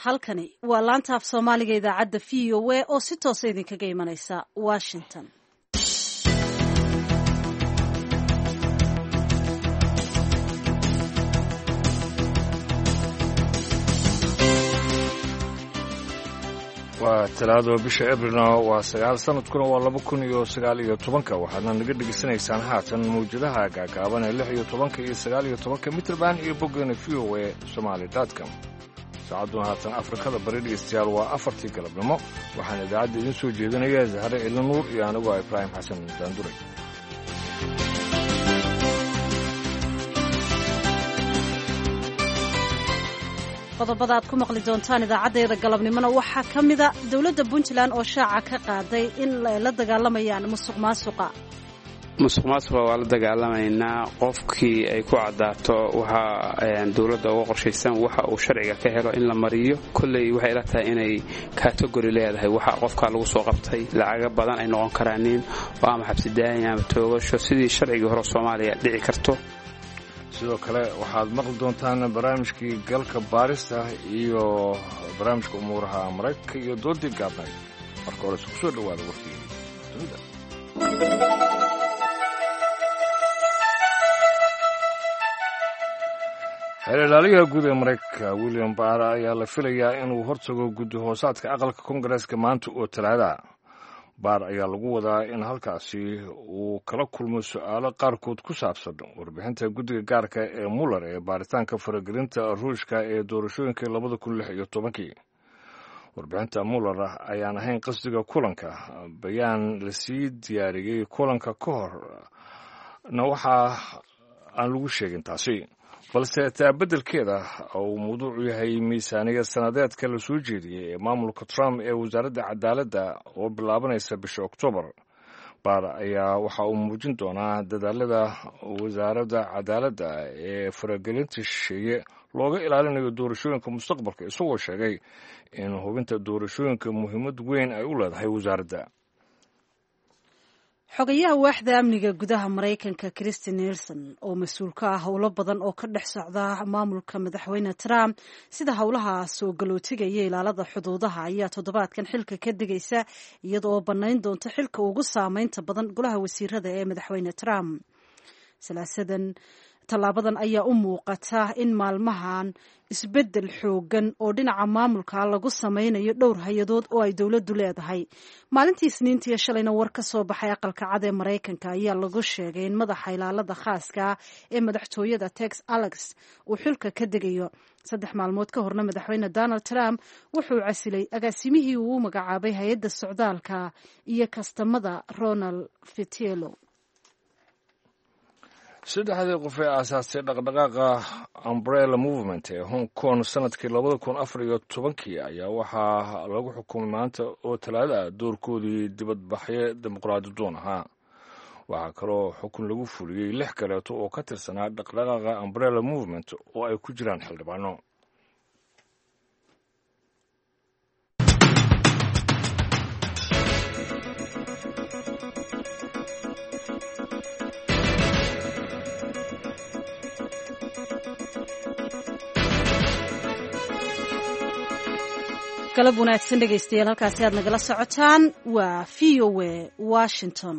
Halkani waa laanta af Soomaaliga idaacadda VOA oo si toosa idinkaga imanaysa Washington. Waa Talaado, bisha Abrilna waa 9, sanadkuna waa 2019-ka. Waxaadna naga dhegaysanaysaan haatan mawjadaha gaagaaban ee 16-ka iyo 19-ka mitrban iyo boggeena VOA Somaali com. Saacadduna haatan Afrikada Bari, dhegeystayaal, waa 4-tii galabnimo. Waxaana idaacadda idiin soo jeedinaya Zahre Ciilo Nuur iyo anigoo Ibraahim Xasan Daanduray. Qodobada aad ku maqli doontaan idaacaddeeda galabnimona waxaa ka mida dowladda Puntland oo shaaca ka qaaday in ay la dagaalamayaan musuq maasuqa. Musuq maasuqa waa la dagaalamaynaa. Qofkii ay ku caddaato waxaa dowladda uga qorshaysan waxa uu sharciga ka helo in la mariyo. Kolley waxay ila tahay inay kategori leedahay waxa qofkaa lagu soo qabtay, lacaga badan ay noqon karaanin oo ama xabsidaayin ama toogasho sidii sharcigii hore Soomaaliya dhici karto. Sidoo kale waxaad maqli doontaan barnaamijkii galka baarista iyo barnaamijka umuuraha Maraykanka iyo doodii gaabnayd. Marka hore isku soo dhowaada warkii dunida. Xeer ilaaliyaha guud ee Maraykanka William Barr ayaa la filayaa inuu hortago guddi hoosaadka aqalka Kongareeska maanta oo Talaada. Baar ayaa lagu wadaa in halkaasi uu kala kulmo su-aalo qaarkood ku saabsan warbixinta guddiga gaarka ee Muller ee baaritaanka faragelinta Ruushka ee doorashooyinkii 2016-kii. Warbixinta Muller ayaan ahayn qasdiga kulanka. Bayaan lasii diyaariyey kulanka ka hor na waxaa aan lagu sheegin taasi, balse taa beddelkeeda uu mawduucu yahay miisaaniyad sanadeedka la soo jeediyey ee maamulka Trump ee wasaaradda cadaaladda oo bilaabanaysa bisha Oktoobar. Baar ayaa waxa uu muujin doonaa dadaalada wasaaradda cadaaladda ee faragelinta shisheeye looga ilaalinayo doorashooyinka mustaqbalka, isagoo sheegay in hubinta doorashooyinka muhiimad weyn ay u leedahay wasaaradda. Xogayaha waaxda amniga gudaha Maraykanka Christi Nelson, oo mas-uul ka ah howlo badan oo ka dhex socda maamulka madaxweyne Trump, sida howlaha soo galootiga iyo ilaalada xuduudaha, ayaa toddobaadkan xilka ka degaysa, iyada oo bannayn doonta xilka ugu saameynta badan golaha wasiirada ee madaxweyne Trump. Salaasadan tallaabadan ayaa u muuqata in maalmahan isbeddel xoogan oo dhinaca maamulka lagu sameynayo dhowr hay-adood oo ay dowladdu leedahay. Maalintii Isniintiiyo shalayna war ka soo baxay Aqalka Cad ee Maraykanka ayaa lagu sheegay in madaxa ilaalada khaaska ee madaxtooyada Tex Alex uu xilka ka degayo. 3 maalmood ka horna madaxweyne Donald Trump wuxuu casilay agaasimihii uu u magacaabay hay-adda socdaalka iyo kastamada, Ronald Vitiello. Saddexdii qof ee aasaastay dhaqdhaqaaqa Umbrella Movement ee Hong Kong sanadkii 2014-kii ayaa waxaa lagu xukumay maanta oo Talaada doorkoodii dibadbaxyo dimuqraadi doon ahaa. Waxaa kaloo xukun lagu fuliyey lix kaleeto oo ka tirsanaa dhaqdhaqaaqa Umbrella Movement oo ay ku jiraan xildhibaano. Galab wanaagsan, dhegaystayaal. Halkaasi aad nagala socotaan waa VOA Washington.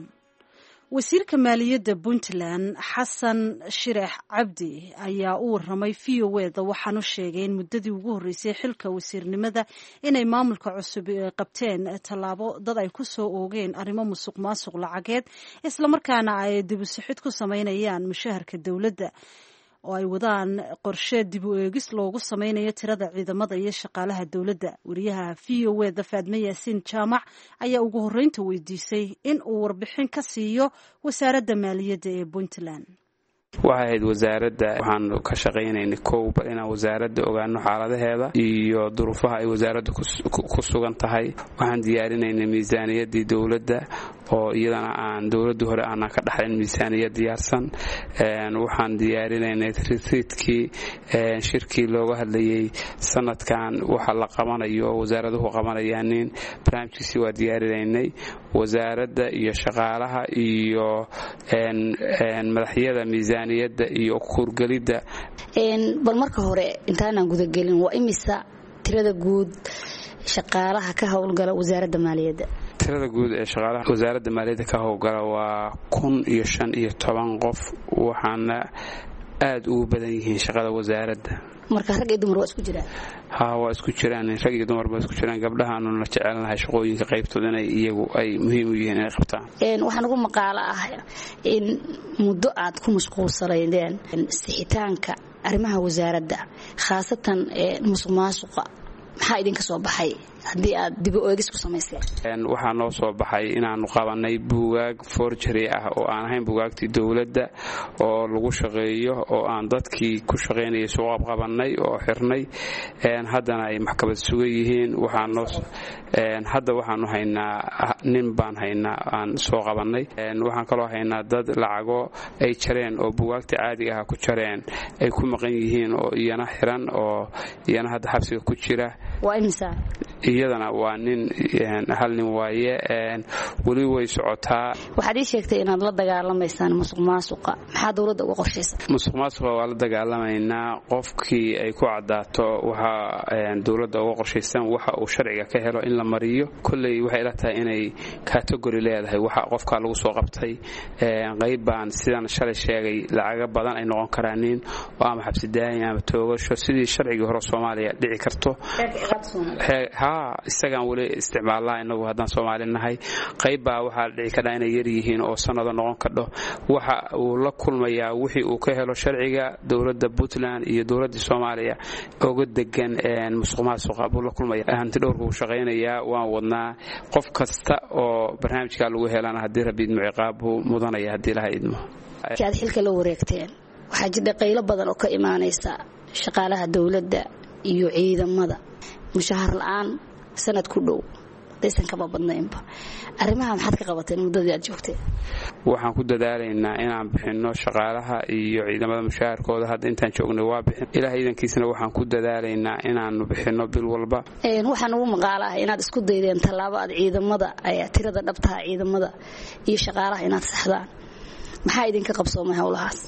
Wasiirka maaliyadda Puntland Xasan Shirex Cabdi ayaa u waramay VOA da, waxaanu sheegay in muddadii ugu horreysay xilka wasiirnimada inay maamulka cusub qabteen tallaabo dad ay ku soo oogeen arrimo musuq maasuq lacageed, islamarkaana ay dibusixid ku sameynayaan mushaharka dowladda, oo ay wadaan qorshe dib u eegis loogu sameynayo tirada ciidamada iyo shaqaalaha dowladda. Wariyaha VOA da Faadme Yaasiin Jaamac ayaa ugu horreynta weydiisay in uu warbixin ka siiyo wasaaradda maaliyadda ee Puntland. Waxay ahayd wasaaradda waxaanu ka shaqaynaynay kow bal inaan wasaaradda ogaano xaaladaheeda iyo duruufaha ay wasaaradda ku sugan tahay. Waxaan diyaarinaynay miisaaniyaddii dowladda oo iyadana aan dowladdii hore aanan ka dhaxlayn miisaaniyad diyaarsan. Waxaan diyaarinaynay ritriitkii, shirkii looga hadlayey sanadkan waxa la qabanayo, wasaaraduhu qabanayaanin barnaamijkiisii waa diyaarinaynay. Wasaaradda iyo shaqaalaha iyo madaxyada miisaaniyadda iyo kuurgelidda. Bal marka hore intaanaan gudagelin, waa imisa Tirada guud shaqaalaha ka howlgala wasaaradda maaliyadda? Tirada guud ee shaqaalaha wasaaradda maaliyadda ka howlgala waa 1015 qof, waxaana aada ugu badan yihiin shaqada wasaaradda. Marka rag iyo dumar waa isku jiraan? Ha, waa isku jiraan, rag iyo dumar waa isku jiraan. Gabdhahaanuna jecelnahay shaqooyinka qaybtood inay iyagu ay muhiim u yihiin inay qabtaan. Waxaa nagu maqaalo ah in muddo aad ku mashquulsanaydeen sixitaanka arrimaha wasaaradda, khaasatan musuq maasuqa. Maxaa idinka soo baxay haddii aad dibo eegis ku samayseen? Waxaa noo soo baxay inaannu qabanay buugaag forgery ah oo aan ahayn buugaagtii dowladda oo lagu shaqeeyo, oo aan dadkii ku shaqaynayay soo qabqabannay oo xirnay, haddana ay maxkamad sugan yihiin. Hadda waxaanu haynaa nin baan haynaa aan soo qabannay. Waxaan kaloo haynaa dad lacago ay jareen oo buugaagta caadiga ah ku jareen ay ku maqan yihiin oo iyana xiran oo iyana hadda xabsiga ku jira. Iyadana waa nin, hal nin waaye, weli way socotaa. Waxaad ii sheegtay inaad la dagaalamaysaan musuq maasuqa. Maxaa dowladda uga qorshaysa? Musuq maasuqa waa la dagaalamaynaa. Qofkii ay ku caddaato waxaa dowladda uga qorshaysan waxa uu sharciga ka helo in la mariyo. Kolley waxay ila tahay inay category leedahay waxa qofkaa lagu soo qabtay. Qayb baan sidaan shalay sheegay lacaga badan ay noqon karaanin oo ama xabsidaayin ama toogasho sidii sharcigii hore Soomaaliya dhici karto. Ha, isagaan weli isticmaalnaa inagu haddaan Soomaali nahay. Qayb baa waxaa dhici kadhaa inay yar yihiin oo sannado noqon kadho. Waxa uu la kulmayaa wixii uu ka helo sharciga dowladda Puntland iyo dowladda Soomaaliya oga degan musuq maasuqa buu la kulmaya. Hanti dhowrka uu shaqaynayaa waan wadnaa. Qof kasta oo barnaamijkaa lagu helana haddii Rabbi idmo ciqaab buu mudanaya haddii Ilaha idmo. Aad xilka la wareegteen waxaa jira qaylo badan oo ka imaanaysa shaqaalaha dowladda iyo ciidamada, mushahar la-aan sanad ku dhow hadaysan kaba badnaynba. Arrimaha maxaad ka qabateen muddadii aad joogteen? Waxaan ku dadaalaynaa inaan bixinno shaqaalaha iyo ciidamada mushaharkooda. Hadda intaan joognay waa bixin, Ilaah iidankiisana waxaan ku dadaalaynaa inaanu bixinno bil walba. Waxaa nagu maqaalo ah inaad isku daydeen tallaabo aad ciidamada, tirada dhabtaha ciidamada iyo shaqaalaha inaad saxdaan. Maxaa idinka qabsoomay howlahaas?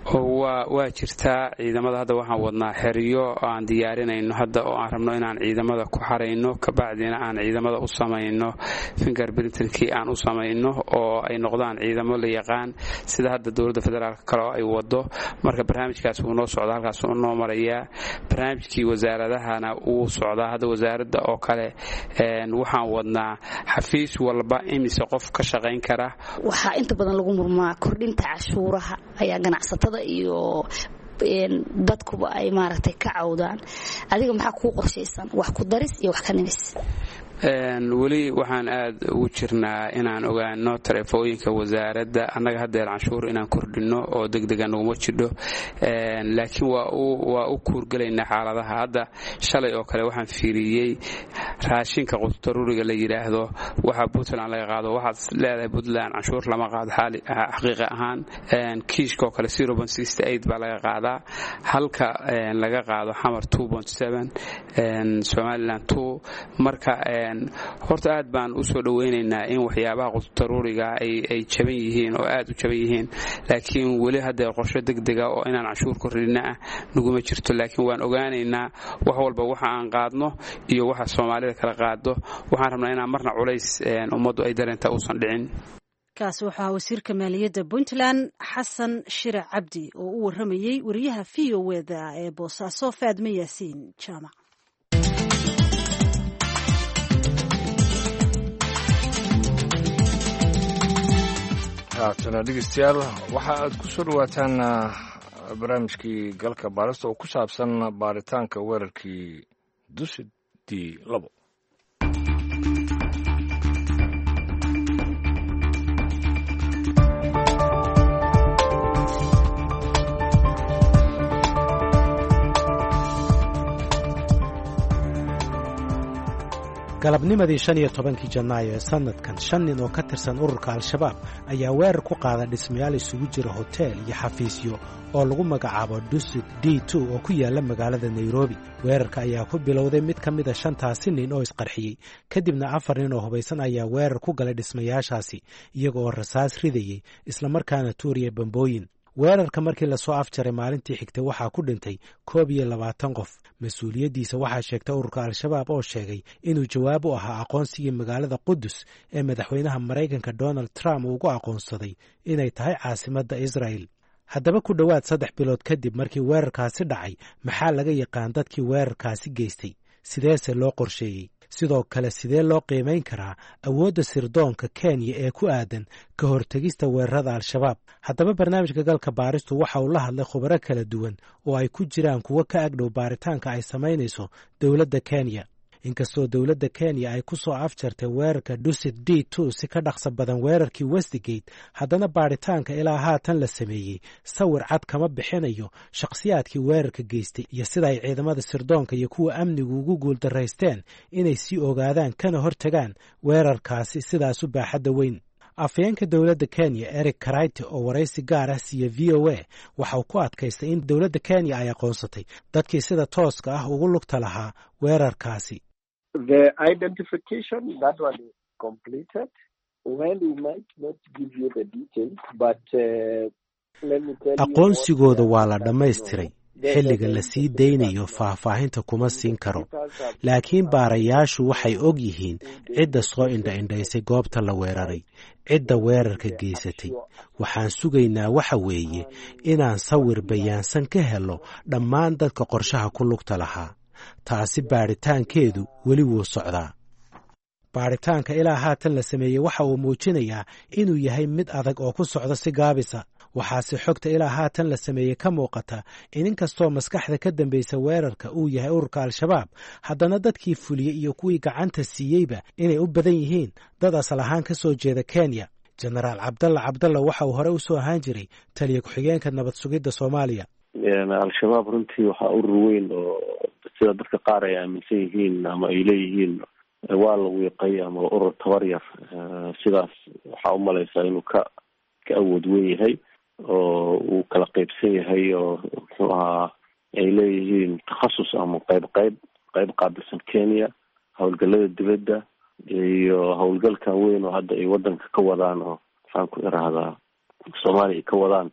Waa jirtaa. Ciidamada hadda waxaan wadnaa xeryo aan diyaarinayno hadda oo aan rabno inaan ciidamada ku xarayno, kabacdina aan ciidamada u samayno finger printerkii aan u samayno oo ay noqdaan ciidamo la yaqaan, sida hadda dowladda federaalka kale oo ay wado. Marka barnaamijkaas wuu noo socdaa, halkaas wuu noo marayaa. Barnaamijkii wasaaradahana wuu socdaa. Hadda wasaaradda oo kale waxaan wadnaa xafiis walba imise qof ka shaqayn kara. Waxaa inta badan lagu murmaa kordhinta cashuuraha ayaa ganacsatada iyo dadkuba ay maaragtay ka cawdaan. Adiga maxaa kuu qorshaysan, wax ku daris iyo wax ka nimis? Weli waxaan aad ugu jirnaa inaan ogaano taleefooyinka wasaaradda. Annaga haddeer canshuur inaan kordhinno oo degdega naguma jidho, laakiin waa u kuurgelaynaa xaaladaha. Hadda shalay oo kale waxaan fiiriyey raashinka qudaruuriga la yidhaahdo waxa Puntland laga qaado. Waxaad leedahay Puntland canshuur lama qaado. Xaqiiqa ahaan kiishka oo kale baa laga qaadaa, halka laga qaado Xamar Somaliland. Marka horta aad baan u soo dhoweynaynaa in waxyaabaha qudaruuriga ay jaban yihiin oo aad u jaban yihiin, laakiin weli hadda qorsho degdega oo inaan canshuur kordhina ah naguma jirto. Laakiin waan ogaanaynaa wax walba waxa aan qaadno iyo waxa Soomaalida kala qaado. Waxaan rabnaa inaan marna culays ummaddu ay dareentaa uusan dhicin. Kaasi wuxuu ahaa wasiirka maaliyadda Puntland Xasan Shire Cabdi oo u waramayey wariyaha v o eda ee Boosaaso Faadme Yaasiin Jaamac. Haatana dhegeystayaal, waxa aad ku soo dhowaataan barnaamijkii galka baarista oo ku saabsan baaritaanka weerarkii Dusidii 2. Galabnimadii 15-kii Janaayo ee sannadkan, shan nin oo ka tirsan ururka Al-Shabaab ayaa weerar ku qaada dhismayaal isugu jira hoteel iyo xafiisyo oo lagu magacaabo Dusit D 2 oo ku yaalla magaalada Nairobi. Weerarka ayaa ku bilowday mid ka mida shantaasi nin oo isqarxiyey, kadibna afar nin oo hubaysan ayaa weerar ku galay dhismayaashaasi iyaga oo rasaas ridayey islamarkaana tuuriya bambooyin. Weerarka markii lasoo afjaray maalintii xigtay waxaa ku dhintay 21 qof. Mas-uuliyaddiisa waxaa sheegtay ururka Al-Shabaab oo sheegay inuu jawaab u ahaa aqoonsigii magaalada Qudus ee madaxweynaha Maraykanka Donald Trump uu ugu aqoonsaday inay tahay caasimadda Israel. Haddaba, ku dhowaad 3 bilood kadib markii weerarkaasi dhacay, maxaa laga yaqaan dadkii weerarkaasi geystay? Sideese loo qorsheeyey? Sidoo kale, sidee loo qiimayn karaa awoodda sirdoonka Kenya ee ku aadan ka hortegista weerarada Al-Shabaab? Haddaba, barnaamijka Galka Baaristu waxa uu la hadlay khubaro kala duwan oo ay ku jiraan kuwo ka agdhow baaritaanka ay samaynayso dowladda Kenya. Inkastoo dowladda Kenya ay ku soo afjartay weerarka Dusit D2 si ka dhaqso badan weerarkii Westgate, haddana baaritaanka ilaa haatan la sameeyey sawir cad kama bixinayo shakhsiyaadkii weerarka geystay iyo sida ay ciidamada sirdoonka iyo kuwa amnigu ugu guuldaraysteen inay sii ogaadaan kana hortagaan weerarkaasi sidaas u baaxadda weyn. Afhayeenka dowladda Kenya Eric Kiraithe oo waraysi gaar ah siiya VOA waxa uu ku adkaystay in dowladda Kenya ay aqoonsatay dadkii sida tooska ah ugu lugta lahaa weerarkaasi. The identification, that one is completed. Well, we might not give you the details, but let me tell you. Aqoonsigooda waa la dhammaystiray. Xilliga la sii daynayo faahfaahinta kuma siin karo, laakiin baarayaashu waxay og yihiin cidda soo indha-indhaysay goobta la weeraray, cidda weerarka geysatay. Waxaan sugaynaa waxa weeye inaan sawir bayaansan ka helo dhammaan dadka qorshaha ku lugta lahaa. Taasi baadhitaankeedu weli wuu socdaa. Baadhitaanka ilaa haatan la sameeyey waxa uu muujinayaa inuu yahay mid adag oo ku socda si gaabisa. Waxaase xogta ilaa haatan la sameeyey ka muuqata in inkastoo maskaxda ka dambaysa weerarka uu yahay ururka Al-Shabaab, haddana dadkii fuliyey iyo kuwii gacanta siiyeyba inay u badan yihiin dad asal ahaan ka soo jeeda Kenya. Jenaraal Cabdalla Cabdalla waxa uu hore u soo ahaan jiray taliya ku-xigeenka nabad sugidda Soomaaliya. Al-Shabaab runtii waxaa urur weyn oo sida dadka qaar ay aaminsan yihiin ama ay leeyihiin waa la wiiqay ama urur tabar yar, sidaas waxaa umalaysaa inuu ka awood weyn yahay oo uu kala qeybsan yahay, oo muxuu ahaa ay leeyihiin takhasus ama qayb qayb qaabilsan Kenya, howlgalada dibadda iyo howlgalkan weyn oo hadda ay wadanka ka wadaan, oo maxaan ku irahdaa, Soomaaliya ay ka wadaan.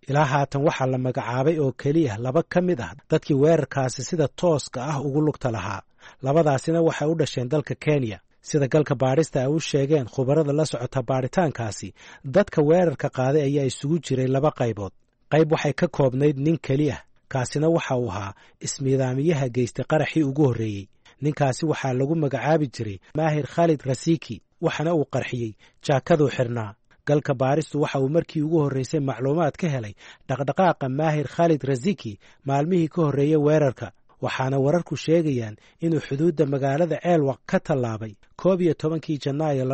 Ilaa haatan waxaa la magacaabay oo keliya laba ka mid ah dadkii weerarkaasi sida tooska ah ugu lugta lahaa. Labadaasina waxay u dhasheen dalka Kenya. Sida galka baadhista ay u sheegeen khubarada la socota baadhitaankaasi, dadka weerarka qaaday ayaa isugu jiray laba qaybood. Qayb waxay ka koobnayd nin keli ah, kaasina waxa uu ahaa ismiidaamiyaha geystay qaraxii ugu horreeyey. Ninkaasi waxaa lagu magacaabi jiray Maahir Khalid Rasiki, waxaana uu qarxiyey jaakaduu xirnaa. Galka baaristu waxa uu markii ugu horreysay macluumaad ka helay dhaqdhaqaaqa Maahir Khalid Rasiki maalmihii ka horreeyey weerarka, waxaana wararku sheegayaan inuu xuduudda magaalada Ceelwaq ka tallaabay 11-kii Janaayo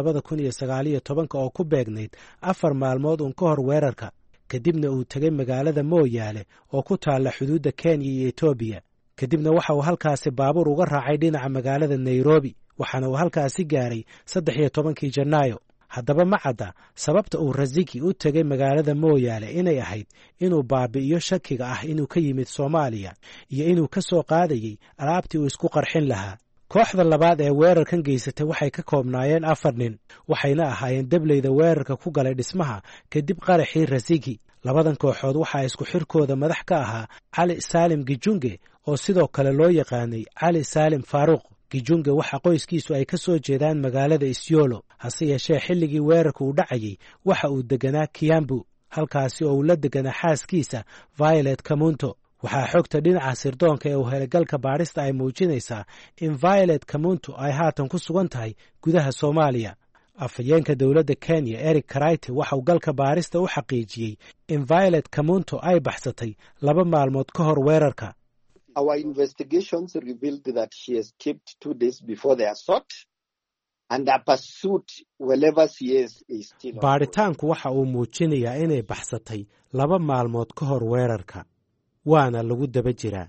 2019-ka, oo ku beegnayd 4 maalmood uun ka hor weerarka, kadibna uu tegey magaalada Mooyaale oo ku taalla xuduudda Kenya iyo Etoobiya. Kadibna waxa uu halkaasi baabuur uga raacay dhinaca magaalada Nairobi, waxaana uu halkaasi gaaray 13-kii Janaayo. Haddaba, ma cadda sababta uu Rasiki u tegey magaalada Mooyaale, inay ahayd inuu baabi'iyo shakiga ah inuu ka yimid Soomaaliya iyo inuu ka soo qaadayey alaabtii uu isku qarxin lahaa. Kooxda labaad ee weerarkan geysatay waxay ka koobnaayeen afar nin, waxayna ahaayeen dableyda weerarka ku galay dhismaha kadib qaraxii Rasiki. Labadan kooxood waxaa isku xirkooda madax ka ahaa Cali Saalim Gijunge, oo sidoo kale loo yaqaanay Cali Saalim Faaruuq. Gijunge waxa qoyskiisu ay ka soo jeedaan magaalada Isyolo, hase yeeshee xilligii weerarka uu dhacayey waxa uu deganaa Kiambu, halkaasi oo uu la deganaa xaaskiisa Violet Kamunto. Waxaa xogta dhinaca sirdoonka ee uu helay galka baadhista ay muujinaysaa in Violet Kamunto ay haatan ku sugan tahay gudaha Soomaaliya. Afhayeenka dowladda Kenya Eric Kiraithe waxa uu galka baarista u xaqiijiyey in Violet Kamunto ay baxsatay 2 maalmood ka hor weerarka. Our investigations revealed that she escaped 2 days before the assault, and her pursuit wherever she is still ongoing. Baadhitaanku waxa uu muujinayaa inay baxsatay 2 maalmood ka hor weerarka, waana lagu daba jiraa.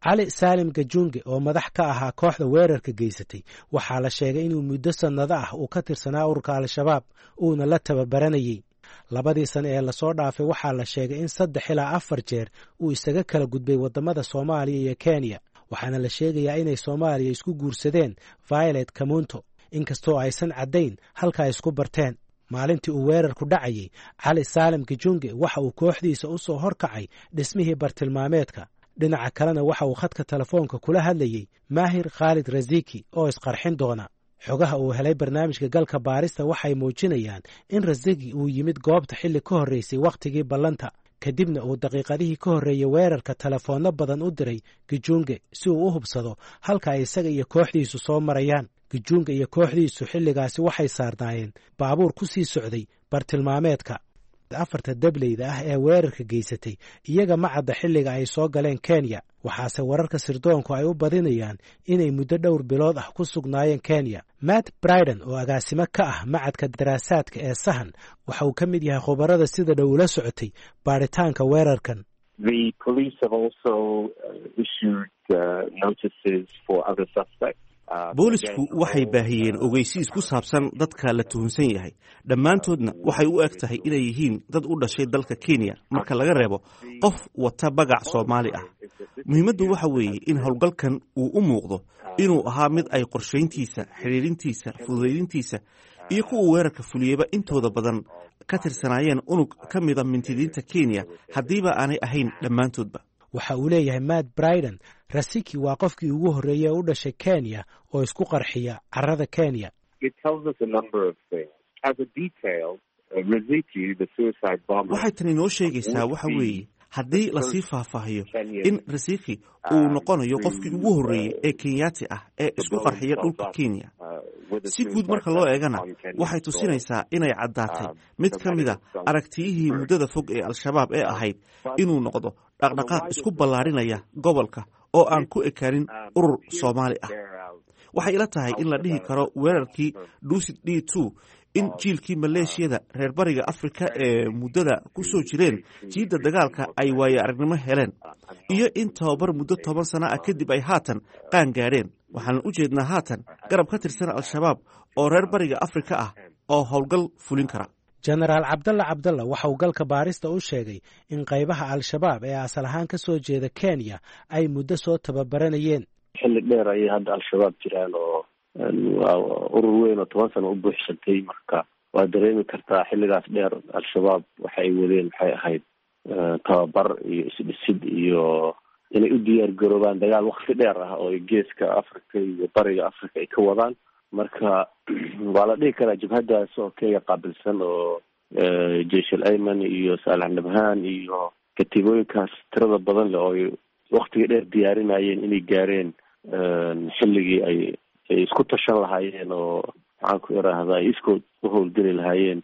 Cali Saalim Gajunge oo madax ka ahaa kooxda weerarka geysatay waxaa la sheegay inuu muddo sannado ah uu ka tirsanaa ururka Al-Shabaab, uuna la tababaranayey. Labadii sane ee lasoo dhaafay waxaa la sheegay in saddex ilaa afar jeer uu isaga kala gudbay waddamada Soomaaliya iyo Kenya, waxaana la sheegayaa inay Soomaaliya isku guursadeen Violet Kamunto, inkastoo aysan caddayn halka ay isku barteen. Maalintii uu weerarku dhacayey, Cali Saalim Gijunge waxa uu kooxdiisa u soo horkacay dhismihii bartilmaameedka. Dhinaca kalena waxa uu khadka telefoonka kula hadlayey Maahir Khaalid Raziki oo isqarxin doona. Xogaha uu helay barnaamijka Galka Baarista waxay muujinayaan in Rasiki uu yimid goobta xilli ka horreysay wakhtigii ballanta, kadibna uu daqiiqadihii ka horreeyey weerarka telefoonno badan u diray Gijunge si uu u hubsado halka ay isaga iyo kooxdiisu soo marayaan. Gijunge iyo kooxdiisu xilligaasi waxay saarnaayeen baabuur ku sii socday bartilmaameedka. Afarta dableyda ah ee weerarka geysatay iyaga ma cadda xilliga ay soo galeen Kenya, waxaase wararka sirdoonku ay u badinayaan inay muddo dhowr bilood ah ku sugnaayeen Kenya. Matt Briden oo agaasimo ka ah macadka daraasaadka ee Sahan waxa uu ka mid yahay khubarada sida dhow ula socotay baaritaanka weerarkan. Boolisku waxay baahiyeen ogeysiis ku saabsan dadka la tuhunsan yahay. Dhammaantoodna waxay u eg tahay inay yihiin dad u dhashay dalka Kenya, marka laga reebo qof wata bagac Soomaali ah. Muhiimaddu waxa weeye in howlgalkan uu u muuqdo inuu ahaa mid ay qorshayntiisa, xidhiirintiisa, fududaydintiisa iyo kuwa weerarka fuliyeyba intooda badan ka tirsanaayeen unug ka mida mintidiinta Kenya, haddiiba aanay ahayn dhammaantoodba. Waxa uu leeyahay Matt Briden, Rasiki waa qofkii ugu horreeyey ee u dhashay Kenya oo isku qarxiya carrada Kenya. Waxay tani noo sheegaysaa waxa weeye, haddii lasii faahfaahiyo, in Rasiki uu noqonayo qofkii ugu horreeyey ee Kenyaati ah ee isku qarxiya dhulka Kenya. Si guud marka loo eegana, waxay tusinaysaa inay caddaatay mid ka mida aragtiyihii muddada fog ee Al-Shabaab ee ahayd inuu noqdo dhaqdhaqaaq isku ballaarinaya gobolka oo aan ku ekaanin urur Soomaali ah. Waxay ila tahay in la dhihi karo weerarkii Dusit D2 in jiilkii maleeshiyada reer bariga Afrika ee muddada ku soo jireen jiidda dagaalka ay waayo aragnimo heleen, iyo in tababar muddo 10 sano ah kadib ay haatan qaan gaadheen. Waxaan u jeednaa haatan garab ka tirsan Al-Shabaab oo reer bariga Afrika ah oo howlgal fulin kara. Jenaraal Cabdalla Cabdalla waxa uu Galka Baarista u sheegay in qaybaha Al-Shabaab ee asal ahaan ka soo jeeda Kenya ay muddo soo tababaranayeen. Xilli dheer ayay hadda Al-Shabaab jiraan oo waa urur weyn oo 10 sano u buuxsantay. Marka waa dareemi kartaa xilligaas dheer Al-Shabaab waxa ay wadeen waxay ahayd tababar iyo isdhisid iyo inay u diyaar garoobaan dagaal wakti dheer ah oo ay geeska Africa iyo bariga Africa ay ka wadaan. Marka waa la dhihi karaa jabhadaas oo Kenya qaabilsan oo Jeish al Ayman iyo Saalax Nabhaan iyo katiibooyinkaas tirada badan leh oo ay waktiga dheer diyaarinayeen inay gaareen xilligii ay isku tashan lahaayeen oo maxaan ku iraahda ay iskood u howlgeli lahaayeen.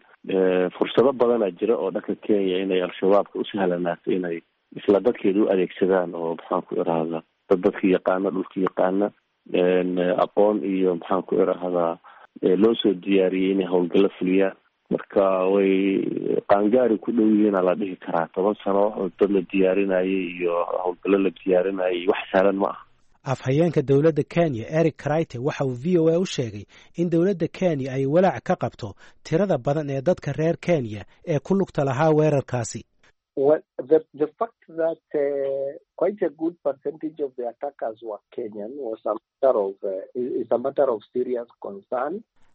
Fursado badanaa jira oo dhanka Kenya inay Al-Shabaabka u sahlanaato inay isla dadkeeda u adeegsadaan oo maxaan ku iraahda dad dadka yaqaana, dhulka yaqaana, aqoon iyo maxaan ku iraahdaa loo soo diyaariyey inay howlgallo fuliyaan. Marka way qaangaari ku dhow yihiina la dhihi karaa. 10 sano dad la diyaarinayay iyo howlgallo la diyaarinayay wax sahlan ma aha. Afhayeenka dowladda Kenya Eric Kraite waxa uu VOA u sheegay in dowladda Kenya ay walaac ka qabto tirada badan ee dadka reer Kenya ee ku lugta lahaa weerarkaasi.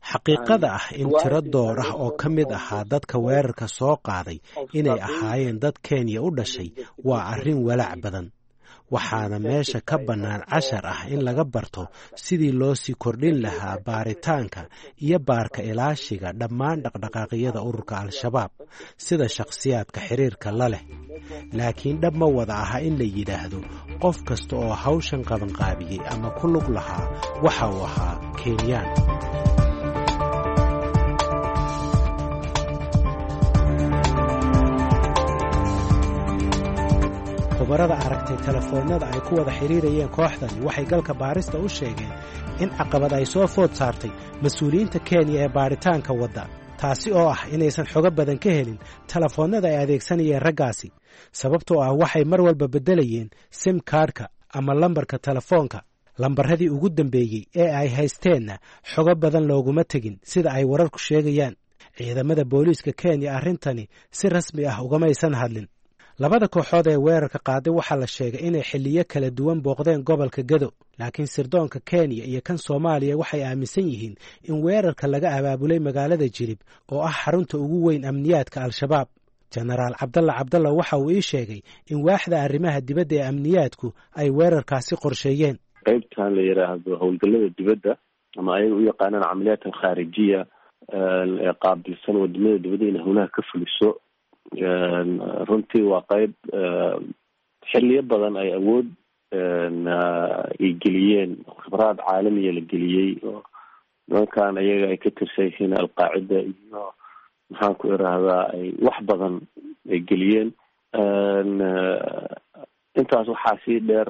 Xaqiiqada ah in tiro door ah oo ka mid ahaa dadka weerarka soo qaaday inay ahaayeen dad Kenya u dhashay waa arrin walaac badan, waxaana meesha ka bannaan cashar ah in laga barto sidii loo sii kordhin lahaa baaritaanka iyo baarka ilaashiga dhammaan dhaqdhaqaaqyada ururka Al-Shabaab sida shakhsiyaadka xiriirka la leh. Laakiin dhab ma wada aha in la yidhaahdo qof kasta oo hawshan qabanqaabiyey ama ku lug lahaa waxa uu ahaa Kenyaan. Khubarada aragtay telefoonnada ay ku wada xidhiirayeen kooxdani waxay Galka Baarista u sheegeen in caqabad ay soo food saartay mas-uuliyiinta Kenya ee baaritaanka wadda, taasi oo ah inaysan xogo badan ka helin telefoonnada ay adeegsanayeen raggaasi, sababtoo ah waxay mar walba beddelayeen sim kaadhka ama lambarka telefoonka. Lambarradii ugu dambeeyey ee ay haysteenna xogo badan looguma tegin sida ay wararku sheegayaan. Ciidamada booliiska Kenya arrintani si rasmi ah ugamaysan hadlin. Labada kooxood ee weerarka qaaday waxaa la sheegay inay xilliyo kala duwan booqdeen gobolka Gado, laakiin sirdoonka Kenya iyo kan Soomaaliya waxay aaminsan yihiin in weerarka laga abaabulay magaalada Jilib oo ah xarunta ugu weyn amniyaadka Al-Shabaab. Jenaraal Cabdalla Cabdalla waxa uu ii sheegay in waaxda arrimaha dibadda ee amniyaadku ay weerarkaasi qorsheeyeen. Qaybtan la yidhaahdo howlgallada dibadda ama ayaga u yaqaanaan camaliyaat alkhaarijiya ee qaabilsan wadamada dibadda inay howlaha ka fuliso, runtii waa qeyb xiliyo badan ay awood ay geliyeen, khibraad caalamiya la geliyey oo nimankan ayaga ay ka tirsan yihiin Alqaacida iyo maxaan ku irahdaa ay wax badan ay geliyeen. Intaas waxaa sii dheer,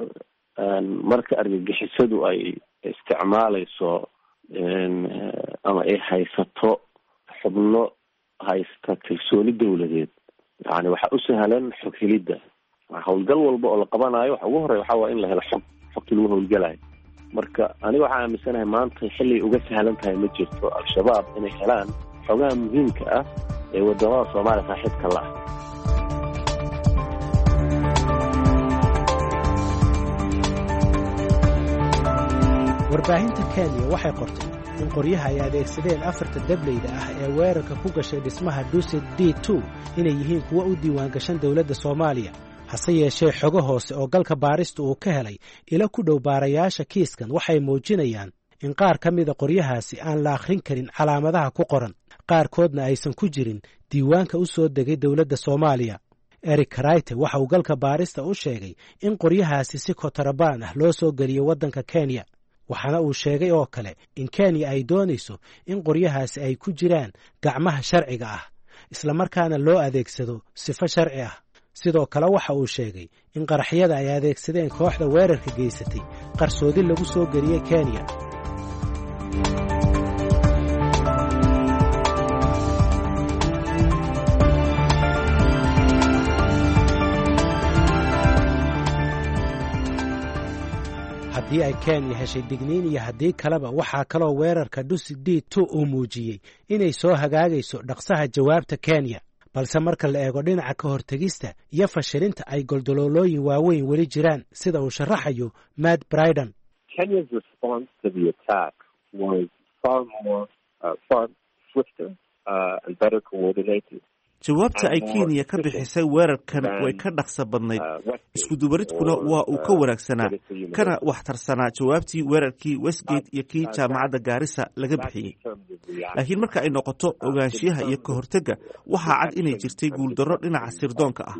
marka argagixisadu ay isticmaalayso ama ay haysato xubno haysta kalsooni dowladeed, yani waxaa u sahlan xog helidda. Howlgal walba oo la qabanayo waxa ugu horreya waxaa waa in la helo xog, xogtii lagu howlgalayo. Marka aniga waxaa aaminsanahay maanta xilligay uga sahlan tahay ma jirto Al-Shabaab inay helaan xogaha muhiimka ah ee wadamada Soomaaliya saaxiibka la ah. Warbaahinta Kenya waxay qortay in qoryaha ay adeegsadeen afarta dableyda ah ee weerarka ku gashay dhismaha Dusit D2 inay yihiin kuwo u diiwaan gashan dowladda Soomaaliya. Hase yeeshee, xogo hoose oo galka baarista uu ka helay ilo ku dhow baarayaasha kiiskan waxay muujinayaan in qaar ka mida qoryahaasi aan la akhrin karin calaamadaha ku qoran, qaarkoodna aysan ku jirin diiwaanka u soo degay dowladda Soomaaliya. Eric Karaite waxa uu galka baarista u sheegay in qoryahaasi si kotarabaan ah loo soo geliyo waddanka Kenya, waxaana uu sheegay oo kale in Kenya ay doonayso in qoryahaasi ay ku jiraan gacmaha sharciga ah, islamarkaana loo adeegsado sifo sharci ah. Sidoo kale waxa uu sheegay in qaraxyada ay adeegsadeen kooxda weerarka geysatay qarsoodi lagu soo geliyey Kenya. Haddii ay Kenya heshay digniin iyo haddii kaleba, waxaa kaloo weerarka Dusit D2 uu muujiyey inay soo hagaagayso dhaqsaha jawaabta Kenya, balse marka la eego dhinaca ka hortegista iyo fashilinta ay goldaloolooyin waaweyn weli jiraan, sida uu sharaxayo Matt Bryden. Kenya's response to the attack was far more, far swifter and better coordinated. Jawaabta ay Kenya ka bixisay weerarkan way ka dhaqso badnayd, iskudubaridkuna waa uu ka wanaagsanaa kana waxtarsanaa jawaabtii weerarkii Westgate iyo kii jaamacadda Gaarisa laga bixiyey. Laakiin marka ay noqoto ogaanshiyaha iyo ka hortagga, waxaa cad inay jirtay guuldarro dhinaca sirdoonka ah.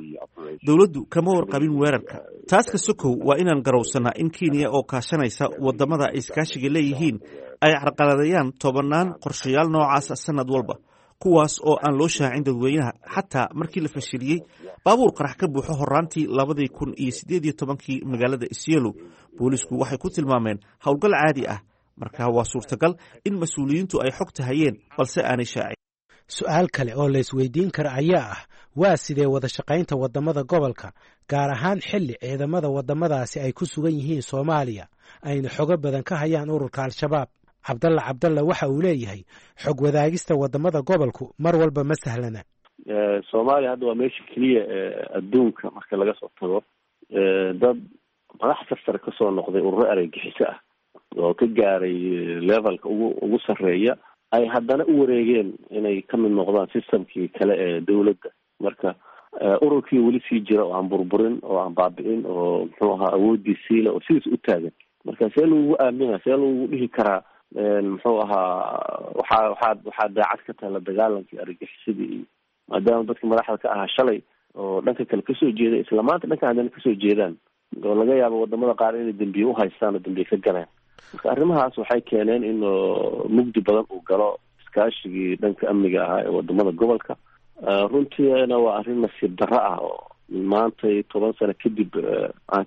Dowladdu kama warqabin weerarka. Taas ka sokow, waa inaan garowsanaa in Kenya oo kaashanaysa wadamada ay iskaashiga leeyihiin ay carqaladayaan tobannaan qorshayaal noocaasa sanad walba, kuwaas oo aan loo shaacin dadweynaha. Xataa markii la fashiliyey baabuur qarax ka buuxo horaantii 2018-kii magaalada Isiolo, boolisku waxay ku tilmaameen howlgal caadi ah. Marka waa suurtagal in mas-uuliyiintu ay xogta hayeen balse aanay shaacin. Su-aal kale oo la isweydiin kara ayaa ah, waa sidee wada shaqaynta waddamada gobolka, gaar ahaan xilli ciidamada waddamadaasi ay ku sugan yihiin Soomaaliya ayna xogo badan ka hayaan ururka Al-Shabaab? Cabdalla Cabdalla waxa uu leeyahay xog wadaagista waddamada gobolku mar walba ma sahlana. Soomaaliya hadda waa meesha keliya ee adduunka marka laga soo tago dad madax sarsare kasoo noqday ururo argagixiso ah oo ka gaaray levelka ugu sarreeya ay haddana u wareegeen inay ka mid noqdaan systemkii kale ee dowladda. Marka ururkii weli sii jira oo aan burburin oo aan baabi'in oo muxuu ahaa awoodii siila oo sidiis u taagan. Marka see lagugu aamina, see lagugu dhihi karaa muxuu ahaa waxaa daacad ka tahay la dagaalankii argagixisadii, iyo maadaama dadka madaxda ka ahaa shalay oo dhanka kale kasoo jeeda isla maanta dhanka haddana kasoo jeedaan, oo laga yaabo wadamada qaar inay dambiye uhaystaan oo dambiye ka galeen. Marka arrimahaas waxay keeneen in mugdi badan uu galo iskaashigii dhanka amniga ahaa ee wadamada gobolka. Runtiina waa arrin nasiib darro ah oo maantay 10 sano kadib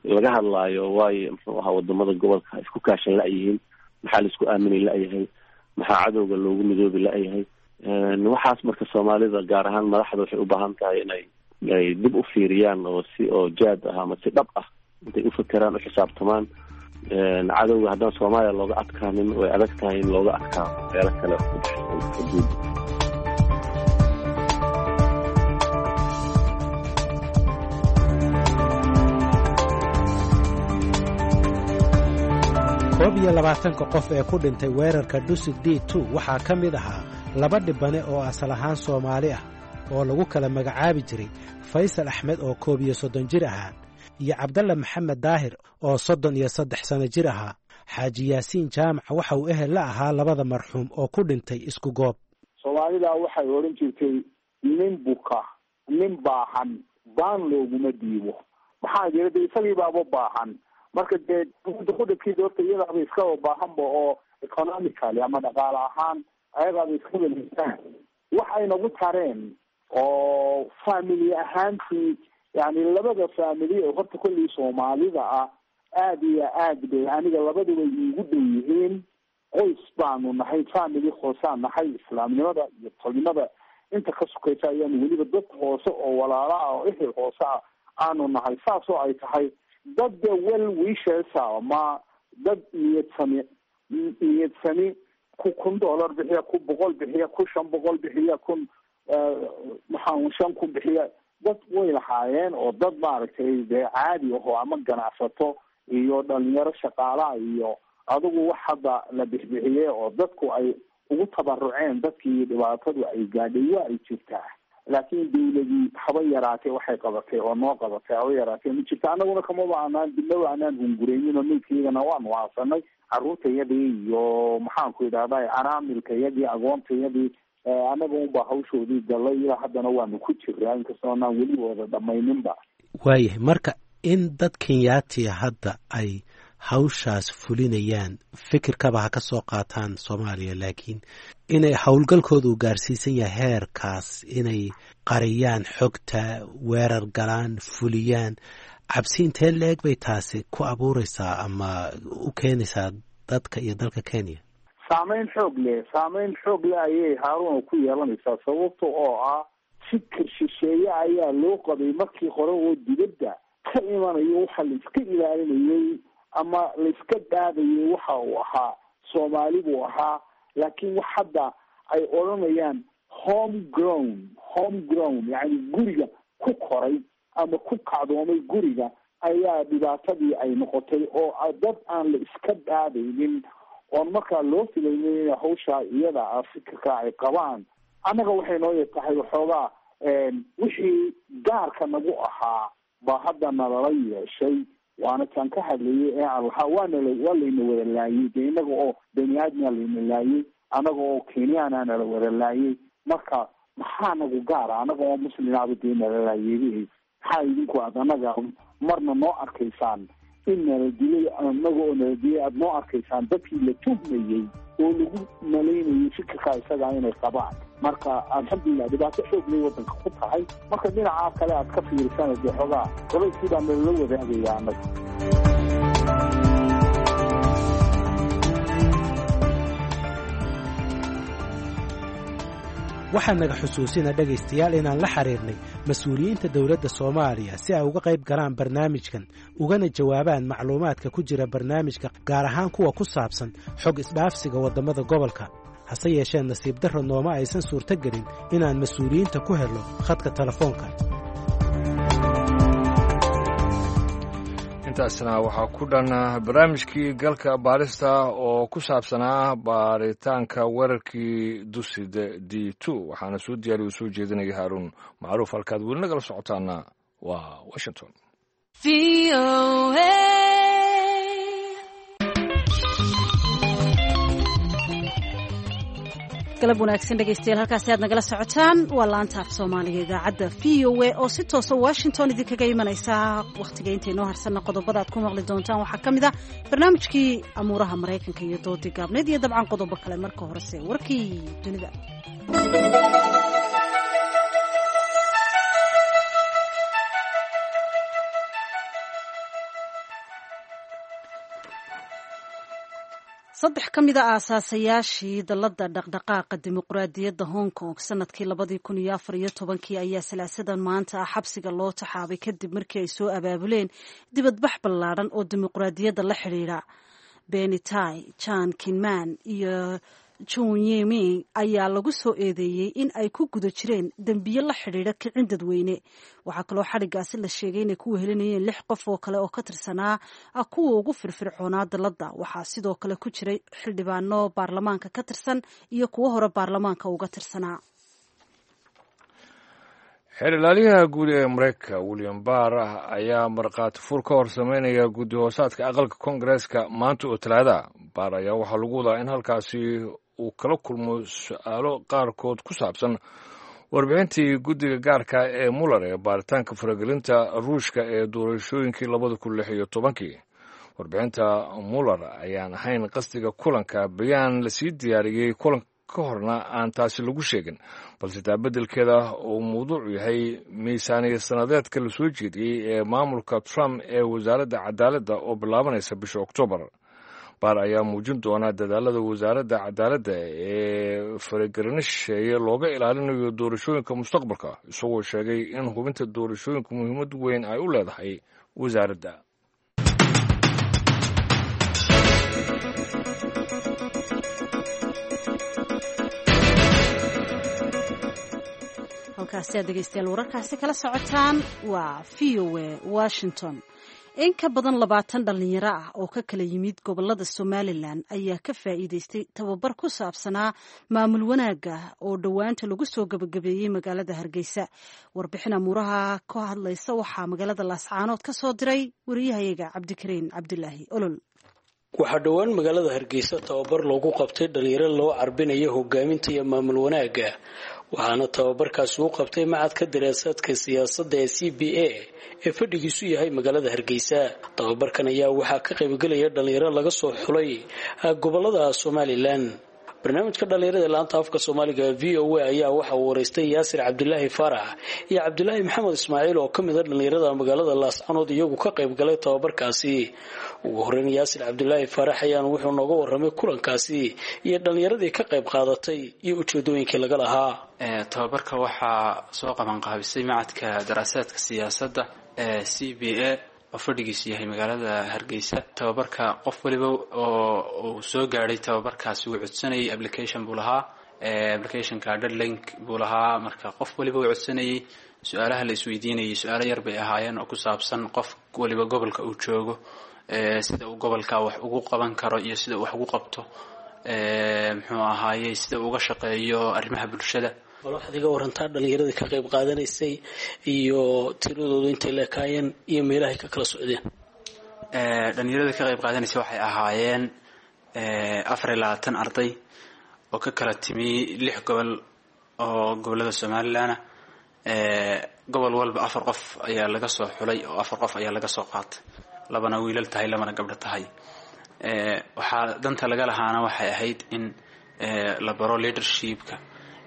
laga hadlaayo, waayo muxuu ahaa wadamada gobolka isku kaashan la-yihiin, maxaa la isku aaminay la-yahay, maxaa cadowga loogu midoobi la-yahay? Waxaas marka Soomaalida gaar ahaan madaxda waxay u baahan tahay inay ay dib u fiiriyaan oo si oo jaad ah ama si dhab ah intay ufakeraan, u xisaabtamaan. Cadowga haddaan Soomaaliya looga adkaanin, way adag tahay in looga adkaado meelo kale ku baxsan xuduudda. 21-ka qof ee ku dhintay weerarka Dusit D 2 waxaa ka mid ahaa laba dhibane oo asal ahaan Soomaali ah oo lagu kala magacaabi jiray Faysal Axmed oo 31 jir ahaa iyo Cabdalla Maxamed Daahir oo 33 sano jir ahaa. Xaaji Yaasiin Jaamac waxa uu ehel la ahaa labada marxuum oo ku dhintay isku goob. Soomaalida waxay odhan jirtay nin buka, nin baahan baan looguma dhiibo. Maxaa jira de isagii baaba baahan. Marka dee qudabkiisa horta iyadaaba iskaba baahanba oo economically ama dhaqaale ahaan ayadaaba iska weleysaan. Waxay nagu tareen oo family ahaantii, yani labada family oo horta kolley Soomaalida ah aada iyo aad bay aniga labaduba iigu dhow yihiin. Qoys baanu nahay, family hoosaan nahay, islaamnimada iyo tolnimada inta ka sukaysa ayaanu weliba dad hoose oo walaala ah oo ehel hoose ah aanu nahay. Saasoo ay tahay dad de well wishers ama dad niyadsami niyadsami ku $1,000 bixiya, ku 100 bixiya, ku 500 bixiya, kun maxaa 5,000 bixiya, dad way lahaayeen oo dad maaragtay dee caadi aho ama ganacsato iyo dhalinyaro shaqaalaha iyo adigu wax hadda la bixbixiyey oo dadku ay ugu tabaruceen dadkii dhibaatadu ay gaadhay waa ay jirtaa. Laakiin dawladii haba yaraatee waxay qabatay oo noo qabatay haba yaraatee ma jirta. Annaguna kamaba anaan dibnaba anaan hungureynin oo meydkaygana waanu aasanay carruurtayadii iyo maxaanku idhahda araamilkayadii agoontayadii annaga unbaa hawshoodii galay. Ilaa haddana waanu ku jiraa inkastoo anaan weli wada dhamayninba. Waayahay, marka in dad Kenyaatiya hadda ay hawshaas fulinayaan fikirkaba ha ka soo qaataan Soomaaliya, laakiin inay howlgalkooda u gaarsiisan yahay heerkaas inay qariyaan xogta, weerar galaan, fuliyaan, cabsi intee la-eg bay taasi ku abuureysaa ama u keenaysaa dadka iyo dalka Kenya? Saameyn xoog leh, saameyn xoog leh ayay Haaruna ku yeelanaysaa, sababta oo ah fikir shisheeye ayaa loo qabay markii hore oo dibadda ka imanayo. Waxa la iska ilaalinayay ama la iska dhaabayay waxa uu ahaa Soomaali buu ahaa, laakiin wax hadda ay odhanayaan home grown, home grown, yacni guriga ku koray ama ku kacdoomay guriga ayaa dhibaatadii ay noqotay oo dad aan la iska dhaabaynin oon markaa loo filaynin inay hawshaa iyada ah fikirka ay qabaan. Annaga waxay noo tahay waxoogaa wixii gaarka nagu ahaa baa hadda nalala yeeshay, waana taan ka hadlayay ee aan lahaa waanala waa layna wada laayay dee innaga oo bani aadmia layna laayay, annaga oo kenyaana nala wada laayay. Marka maxaa nagu gaara annaga oo muslimaaba dee nala laayay? Maxaa idinku aad annaga marna noo arkaysaan in nala dilay, annaga oo nala dilay aada noo arkaysaan dadkii la tuhmayey oo lagu malaynayay fikirkaa isagaa inay qabaan? Marka alxamdulilah dhibaato xoog lay waddanka ku tahay. Marka dhinacaa kale aad ka fiirisana dee xoogaa culayskii baa nalala wadaagaya annaga. Waxaa naga xusuusina dhegaystayaal inaan la xiriirnay mas-uuliyiinta dowladda Soomaaliya si ay uga qayb galaan barnaamijkan ugana jawaabaan macluumaadka ku jira barnaamijka, gaar ahaan kuwa ku saabsan xog isdhaafsiga waddamada gobolka. Hase yeeshee nasiib darro nooma aysan suurtogelin inaan mas-uuliyiinta ku helno khadka telefoonka. Intaasna waxaa ku dhan barnaamijkii galka baarista oo ku saabsanaa baaritaanka weerarkii Dusid D 2, waxaana soo diyaariya soo jeedinaya Haaruun Macruuf. Halkaad weli nagala socotaana waa Washington. Galab wanaagsan dhegaystayaal, halkaasi aad nagala socotaan waa laanta af Soomaaliga idaacadda VOA oo si toosa Washington idinkaga imanaysa. Wakhtiga intaynoo harsanna qodobada aad ku maqli doontaan waxaa ka mid ah barnaamijkii amuuraha Maraykanka iyo doodii gaabneyd iyo dabcan qodobo kale. Marka horese warkii dunida. Saddex ka mid a aasaasayaashii dalladda dhaqdhaqaaqa dimuqraadiyadda Hong Kong sanadkii 2014-kii ayaa salaasadan maanta ah xabsiga loo taxaabay kadib markii ay soo abaabuleen dibadbax ballaadhan oo dimuqraadiyadda la xidhiidha. Beni Tai, Jan Kinman iyo Junyeming ayaa lagu soo eedeeyey in ay ku guda jireen dembiyo la xidhiidha kicin dadweyne. Waxaa kaloo xadhiggaasi la sheegay inay ku wehelinayeen 6 qof oo kale oo ka tirsanaa kuwa ugu firfircoonaa dalladda. Waxaa sidoo kale ku jiray xildhibaano baarlamaanka ka tirsan iyo kuwo hore baarlamaanka uga tirsanaa. Xeer ilaaliyaha guud ee Mareykanka William Barr ayaa markhaati fur ka hor sameynaya guddi hoosaadka aqalka koongareeska maanta oo Talaada. Barr ayaa waxaa lagu wadaa in halkaasi uu kala kulmo su-aalo qaarkood ku saabsan warbixintii guddiga gaarka ee Muller ee baaritaanka faragelinta Ruushka ee doorashooyinkii 2016-kii. Warbixinta Muller ayaan ahayn qasdiga kulanka, bayaan lasii diyaariyey kulanka ka horna aan taasi lagu sheegin, balse taa beddelkeeda uu mawduucu yahay miisaaniya sannadeedka lasoo jeediyey ee maamulka Trump ee wasaaradda cadaaladda oo bilaabanaysa bisha Oktoobar. Baar ayaa muujin doonaa dadaalada wasaaradda cadaaladda ee faragelino shisheeye looga ilaalinayo doorashooyinka mustaqbalka, isagoo sheegay in hubinta doorashooyinka muhiimad weyn ay u leedahay wasaaradda. Halkaasi aad dhegeystayaal wararkaasi kala socotaan waa v o a Washington. In ka badan 20 dhalinyaro ah oo ka kala yimid gobolada Somalilan ayaa ka faa'iideystay tababar ku saabsanaa maamul wanaagga oo dhowaanta lagu soo gabagabeeyey magaalada Hargeysa. Warbixin amuuraha ka hadlaysa waxaa magaalada Laascaanood ka soo diray wariyahayaga Cabdikariin Cabdilaahi Olol. Waxaa dhowaan magaalada Hargeysa tababar loogu qabtay dhalinyaro loo carbinayo hogaaminta iyo maamul wanaagga, waxaana tababarkaasi u qabtay macadka daraasaadka siyaasadda ee c b a ee fadhigiisu yahay magaalada Hargeysa. Tababarkan ayaa waxaa ka qaybgelaya dhalinyaro laga soo xulay gobolada Somalilan. Barnaamijka dhalinyarada laanta afka Soomaaliga v o a ayaa waxa uu wareystay Yaasir Cabdilaahi Faarax iyo Cabdilaahi Maxamed Ismaaciil oo ka mid a dhalinyarada magaalada Laascanood iyagu ka qayb galay tababarkaasi. Ugu horeyn Yaasir Cabdilaahi Faarax ayaana wuxuu nooga warramay kulankaasi iyo dhalinyaradii ka qayb qaadatay iyo ujeedooyinkii laga lahaa. Tababarka waxaa soo qabanqaabisay macadka daraasaadka siyaasadda ee c b a oo fadhigiisu yahay magaalada Hargeysa. Tababarka qof waliba oo uu soo gaadhay tababarkaasi wuu codsanayay, application buu lahaa, applicationka deadlink buu lahaa. Marka qof waliba wuu codsanayay, su-aalaha la isweydiinayay su-aalo yar bay ahaayeen oo ku saabsan qof waliba gobolka uu joogo, sida uu gobolka wax ugu qaban karo iyo sida uu wax ugu qabto, muxuu ahaayey sida uu uga shaqeeyo arrimaha bulshada. Bal waxaad iga warantaa dhalinyaradii ka qayb qaadanaysay iyo tiradoodu intay leekaayeen iyo meelahay ka kala socdeen. Dhalinyarada ka qayb qaadanaysay waxay ahaayeen 24 arday oo ka kala timi 6 gobol oo gobolada Somalilan. Gobol walba 4 qof ayaa laga soo xulay oo 4 qof ayaa laga soo qaatay, 2na wiilal tahay 2na gabdho tahay. Waxaa danta laga lahaana waxay ahayd in la baro leadershipka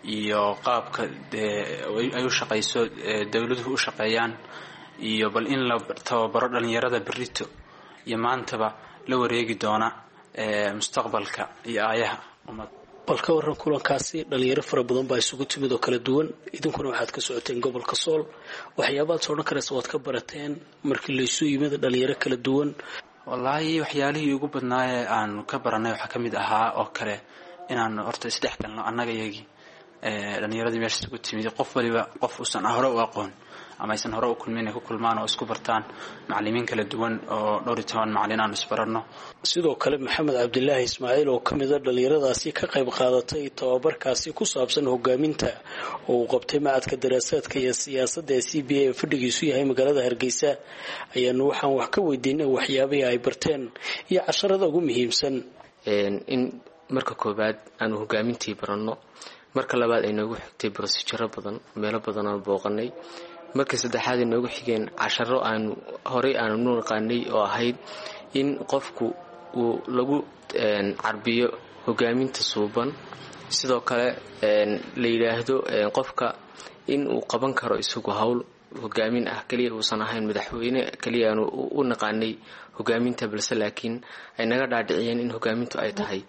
iyo qaabka ay u shaqayso dowladuhu u shaqeeyaan, iyo bal in la tababaro dhalinyarada berrito iyo maantaba la wareegi doona mustaqbalka iyo aayaha ummad. Bal ka waran kulankaasi, dhalinyaro fara badan baa isugu timid oo kala duwan, idinkuna waxaad ka socoteen gobolka Sool, waxyaabaad soo odhan karaysa waad ka barateen markii laysu yimid dhalinyaro kala duwan? Wallaahi waxyaalihii ugu badnaayee aanu ka baranay waxaa ka mid ahaa oo kale inaanu horta isdhex galno annaga iyagii dhalinyaradii meesha isugu timid, qof waliba qof uusan hore u aqoon ama aysan hore u kulmin inay ku kulmaan oo isku bartaan macallimiin kala duwan oo dhowr iyo toban macallin aanu isbaranno. Sidoo kale Maxamed Cabdilaahi Ismaaciil oo ka mid a dhalinyaradaasi ka qayb qaadatay tababarkaasi ku saabsan hogaaminta oo uu qabtay macadka daraasaadka iyo siyaasadda ee c b a ee fadhigiisu yahay magaalada Hargeysa ayaanu waxaan wax ka weydiinay waxyaabihii ay barteen iyo casharada ugu muhiimsan. In marka koowaad aanu hogaamintii baranno, marka labaad ay noogu xigtay brosijaro badan, meelo badan aanu booqanay, marka saddexaad ay noogu xigeen casharo aanu horey aanu nu naqaanay oo ahayd in qofku uu lagu carbiyo hogaaminta suuban, sidoo kale la yidhaahdo qofka in uu qaban karo isagu howl hogaamin ah keliya uusan ahayn madaxweyne keliya aanu u naqaanay hogaaminta, balse laakiin ay naga dhaadhiciyeen in hogaamintu ay tahay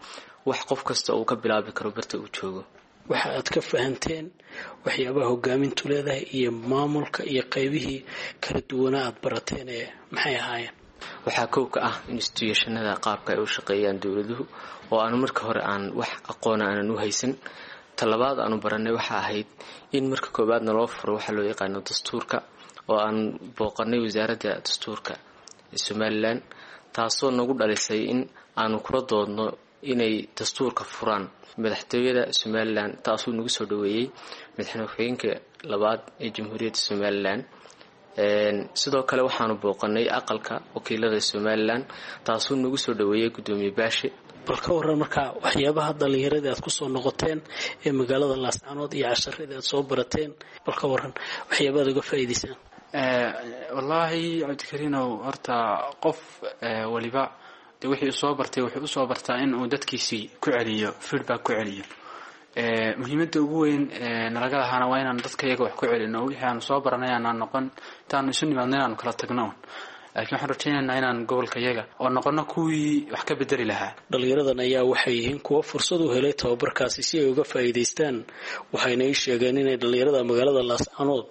wax qof kasta uu ka bilaabi karo barta uu joogo. Waxa aad ka fahanteen waxyaabaha hogaamintu leedahay iyo maamulka iyo qaybihii kala duwanaa aad barateen ee maxay ahaayeen? Waxaa kow ka ah institutionada qaabka ay u shaqeeyaan dowladuhu oo aanu marka hore aan wax aqoona aanan u haysan. Talabaad aanu baranay waxa ahayd in marka koowaadna loo furo waxaa loo yaqaano dastuurka, oo aan booqanay wasaaradda dastuurka ee Somalilan, taasoo nagu dhalisay in aanu kula doodno inay dastuurka furaan madaxtooyada Somalilan, taasuu nagu soo dhaweeyey madaxweyne ku-xigeenka labaad ee Jamhuuriyadda Somalilan. Sidoo kale waxaanu booqanay aqalka wakiilada Somalilan, taasuu nagu soo dhaweeyey gudoomiye Baashe. Bal ka waran markaa waxyaabaha dhallinyaradii aad kusoo noqoteen ee magaalada Laascaanood iyo casharadii aad soo barateen, bal ka waran waxyaabaad uga faa'iidaysaan? Wallaahi Cabdikariinow, horta qof waliba de wixii usoo bartay wuxuu usoo bartaa in uu dadkiisii ku celiyo, feedback ku celiyo. Muhiimadda ugu weyn nalaga lahaana waa inaan dadka iyaga wax ku celino, wixii aanu soo baranay aanaan noqon intaanu isu nimaadno inaanu kala tagno un, laakiin waxaan rajaynaynaa inaan gobolka iyaga oo noqono kuwii wax ka bedeli lahaa. Dhallinyaradan ayaa waxay yihiin kuwo fursad u helay tababarkaasi si ay uga faa'iidaystaan, waxayna ii sheegeen inay dhallinyarada magaalada Laascaanood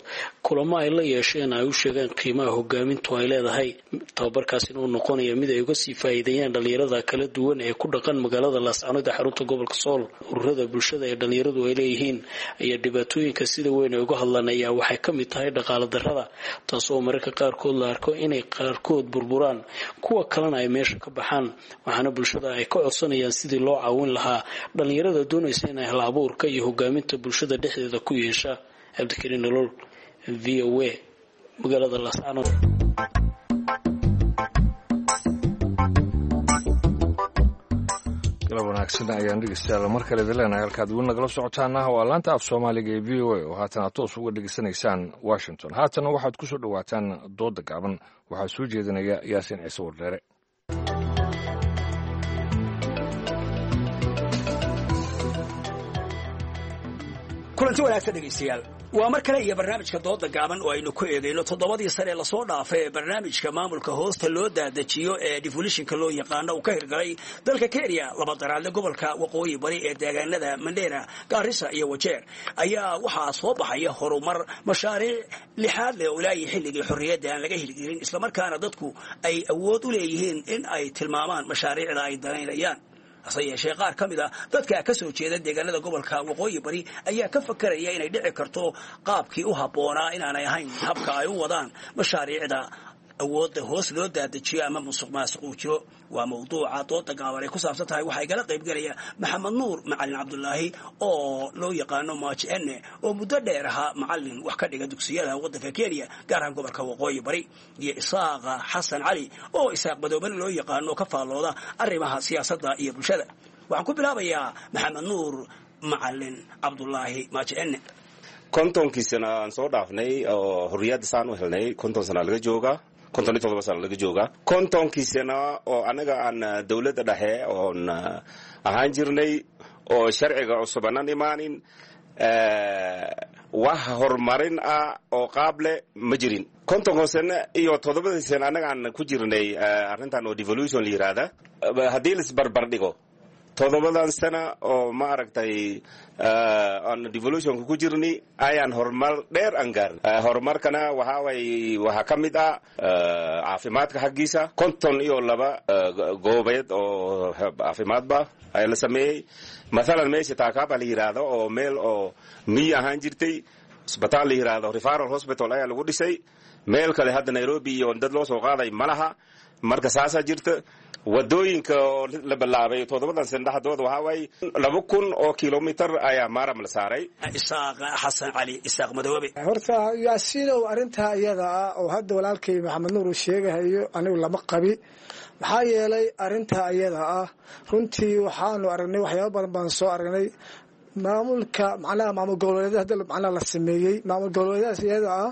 kulamo ay la yeesheen ay u sheegeen qiimaha hogaamintu ay leedahay, tababarkaasina uu noqonaya mid ay uga sii faa'iideeyaan dhallinyarada kala duwan ee ku dhaqan magaalada Laascaanood ee xarunta gobolka Sool. Ururada bulshada ee dhallinyaradu ay leeyihiin ayaa dhibaatooyinka sida weyn ay uga hadlaan ayaa waxay ka mid tahay dhaqaale darrada, taasoo mararka qaarkood la arko inay qaarkood burburaan, kuwa kalena ay meesha ka baxaan. Waxaana bulshada ay ka codsanayaan sidii loo caawin lahaa dhallinyarada doonaysa inay hal abuurka iyo hogaaminta bulshada dhexdeeda ku yeesha. Cabdikariin Nolol, VOA, magaalada Laascaanood. Galab wanaagsan ayaan dhegeystayaal mar kale idin leenahay. Halkaad weli nagala socotaana waa laanta af Soomaaliga ee VOA oo haatan aad toos uga dhegeysanaysaan Washington. Haatana waxaad ku soo dhowaataan doodda gaaban, waxaa soo jeedinaya Yaasiin Ciise Wardheere. Kulanti wanaagsan dhegaystayaal, waa mar kale iyo barnaamijka dooda gaaban oo aynu ku eegayno 7dii sane ee lasoo dhaafay ee barnaamijka maamulka hoosta loo daadajiyo ee devolutionka loo yaqaano uu ka hirgalay dalka Kenya, laba daraadle gobolka waqooyi bari ee deegaanada Mandera, Gaarisa iyo Wajeer, ayaa waxaa soo baxaya horumar mashaariic lixaad leh oo ilaahay xilligii xorriyadda aan laga hirgelin, islamarkaana dadku ay awood u leeyihiin in ay tilmaamaan mashaariicda ay danaynayaan. Hase yeeshee qaar ka mid a dadka ka soo jeeda deegaanada gobolka waqooyi bari ayaa ka fakaraya inay dhici karto qaabkii u habboonaa inaanay ahayn habka ay u wadaan mashaariicda awoodda hoos loo daadajiyo ama musuq maasuq uu jiro. Waa mawduuca dooda gaaban ay ku saabsan tahay. Waxaa igala qaybgelaya Maxamed Nuur Macalin Cabdulaahi oo loo yaqaano Maaji Enne, oo muddo dheer ahaa macalin wax ka dhiga dugsiyada waddanka Kenya, gaar ahaan gobolka waqooyi bari, iyo Isaaqa Xasan Cali oo Isaaq Madoobane loo yaqaano, ka faallooda arrimaha siyaasadda iyo bulshada. Waxaan ku bilaabayaa Maxamed Nuur Macalin Cabdulaahi Maaji Enne. 50kii sana aan soo dhaafnay oo xorriyadda saan u helnay, 50 sana laga joogaa, 57 sana laga joogaa. 50kii sana oo annaga aan dowladda dhexe oon ahaan jirnay oo sharciga cusub aanan imaanin, wax horumarin ah oo qaab leh ma jirin. 50ka sano iyo 7dii sana annaga aan ku jirnay arrintan oo devolution la yiraahda, haddii laisbarbar dhigo 7dan sana oo ma aragtay aan devolutionka ku jirnay, ayaan horumar dheer aan gaarin. Horumarkana waxaa way waxaa ka mid ah caafimaadka xaggiisa, 52 goobeed oo caafimaadba ayaa la sameeyey. Mathalan meesha Taakaaba la yiraahdo oo meel oo miyi ahaan jirtay, isbitaal la yiraahdo referral hospital ayaa lagu dhisay. Meel kale hadda Nairobi iyo dad loo soo qaaday ma laha. Marka saasaa jirta. Wadooyinka oo la bilaabay 7dan sana dhexdooda waxaa waaye 2000 oo kilomitir ayaa maaram la saaray. Isaaq Xasan Cali, Isaaq Madoobe. Horta Yaasiinow, arrintaa iyada ah oo hadda walaalkay Maxamed Nuur uu sheegahayo anigu lama qabi. Maxaa yeelay arrintaa iyada ah runtii waxaanu aragnay waxyaaba badan baan soo aragnay. Maamulka macnaha maamul goboleedyada hadda macnaha la sameeyey, maamul goboleedyadaas iyada ah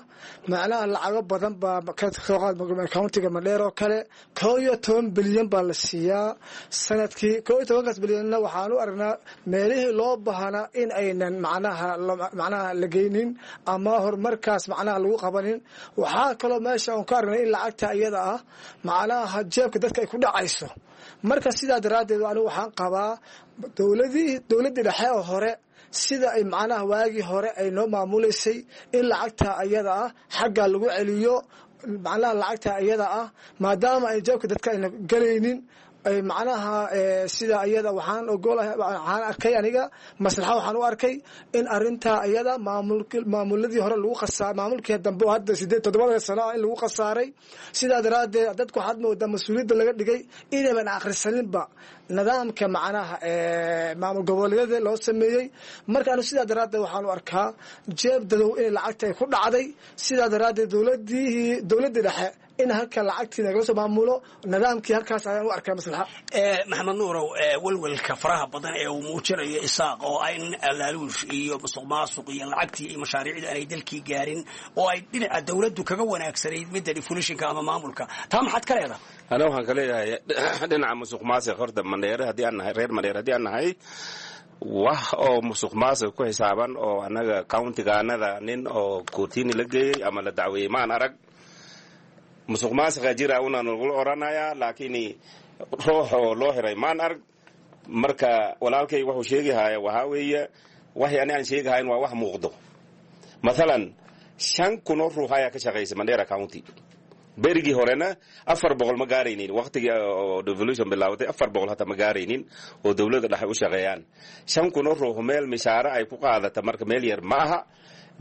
macnaha lacago badan baa ka soo qaad countiga Mandheer oo kale 11 bilyan baa la siiyaa sanadkii. 11kaas bilyanna waxaan u aragnaa meelihii loo baahnaa in aynan macnaha la geynin ama horumarkaas macnaha lagu qabanin. Waxaa kaloo meesha aan ka aragnay in lacagta iyada ah macnaha jeebka dadka ay ku dhacayso. Marka sidaa daraaddeed anigu waxaan qabaa dowladdii dhexe oo hore sida ay macnaha waagii hore ay noo maamuleysay in lacagta ayada ah xaggaa lagu celiyo. Macnaha lacagta iyada ah maadaama ay jeebka dadka ayna galaynin, ay macnaha sida iyada waxaan ogolahay, waxaan arkay aniga maslaxa, waxaan u arkay in arintaa iyada maamuladii hore lagu qasaa, maamulkii dambe oo hadda 8 7da sano ah in lagu khasaaray. Sidaa daraaddeed dadku waxaad moodaa mas-uuliyadda laga dhigay inayban akhrisaninba nidaamka macnaha maamul goboleedyada loo sameeyey. Marka anu sidaa daraaddeed waxaan u arkaa jeeb dadow in lacagta ay ku dhacday. Sidaa daraaddeed dowladdii dhexe in halka lacagtii nagala soo maamulo nidaamkii, halkaas ayaan u arkaa maslaxa. Maxamed Nuurow, welwelka faraha badan ee uu muujinayo Isaaq oo ah in laaluush iyo musuq maasuq iyo lacagtii iyo mashaariicdii aanay dalkii gaarin oo ay dhinaca dawladdu kaga wanaagsanayd midda devolutionka ama maamulka, taa maxaad ka leedahay? Ana waxaan ka leeyahay dhinaca musuq maasuq, horta Mandheere haddii aan nahay, reer Mandheere haddii aan nahay, wax oo musuq maasuq ku xisaaban oo annaga countigaanada nin oo kootini la geeyey ama la dacweeyey maan arag. Musuq maasuqa jira una nagula oranayaa, laakiin ruux oo loo xiray maan arag. Marka walaalkay wuxuu sheegahaya waxaa weeye, waxay ani aan sheegahayn waa wax muuqdo. Mathalan, 5,000 oo ruux ayaa ka shaqaysa Mandera County. Berigii horena 400 ma gaaraynin. Waqtigii oo devolution bilaawatay 400 hataa ma gaaraynin oo dowladda dhexe u shaqeeyaan. 5,000 oo ruux meel mishaare ay ku qaadata, marka meel yar ma aha.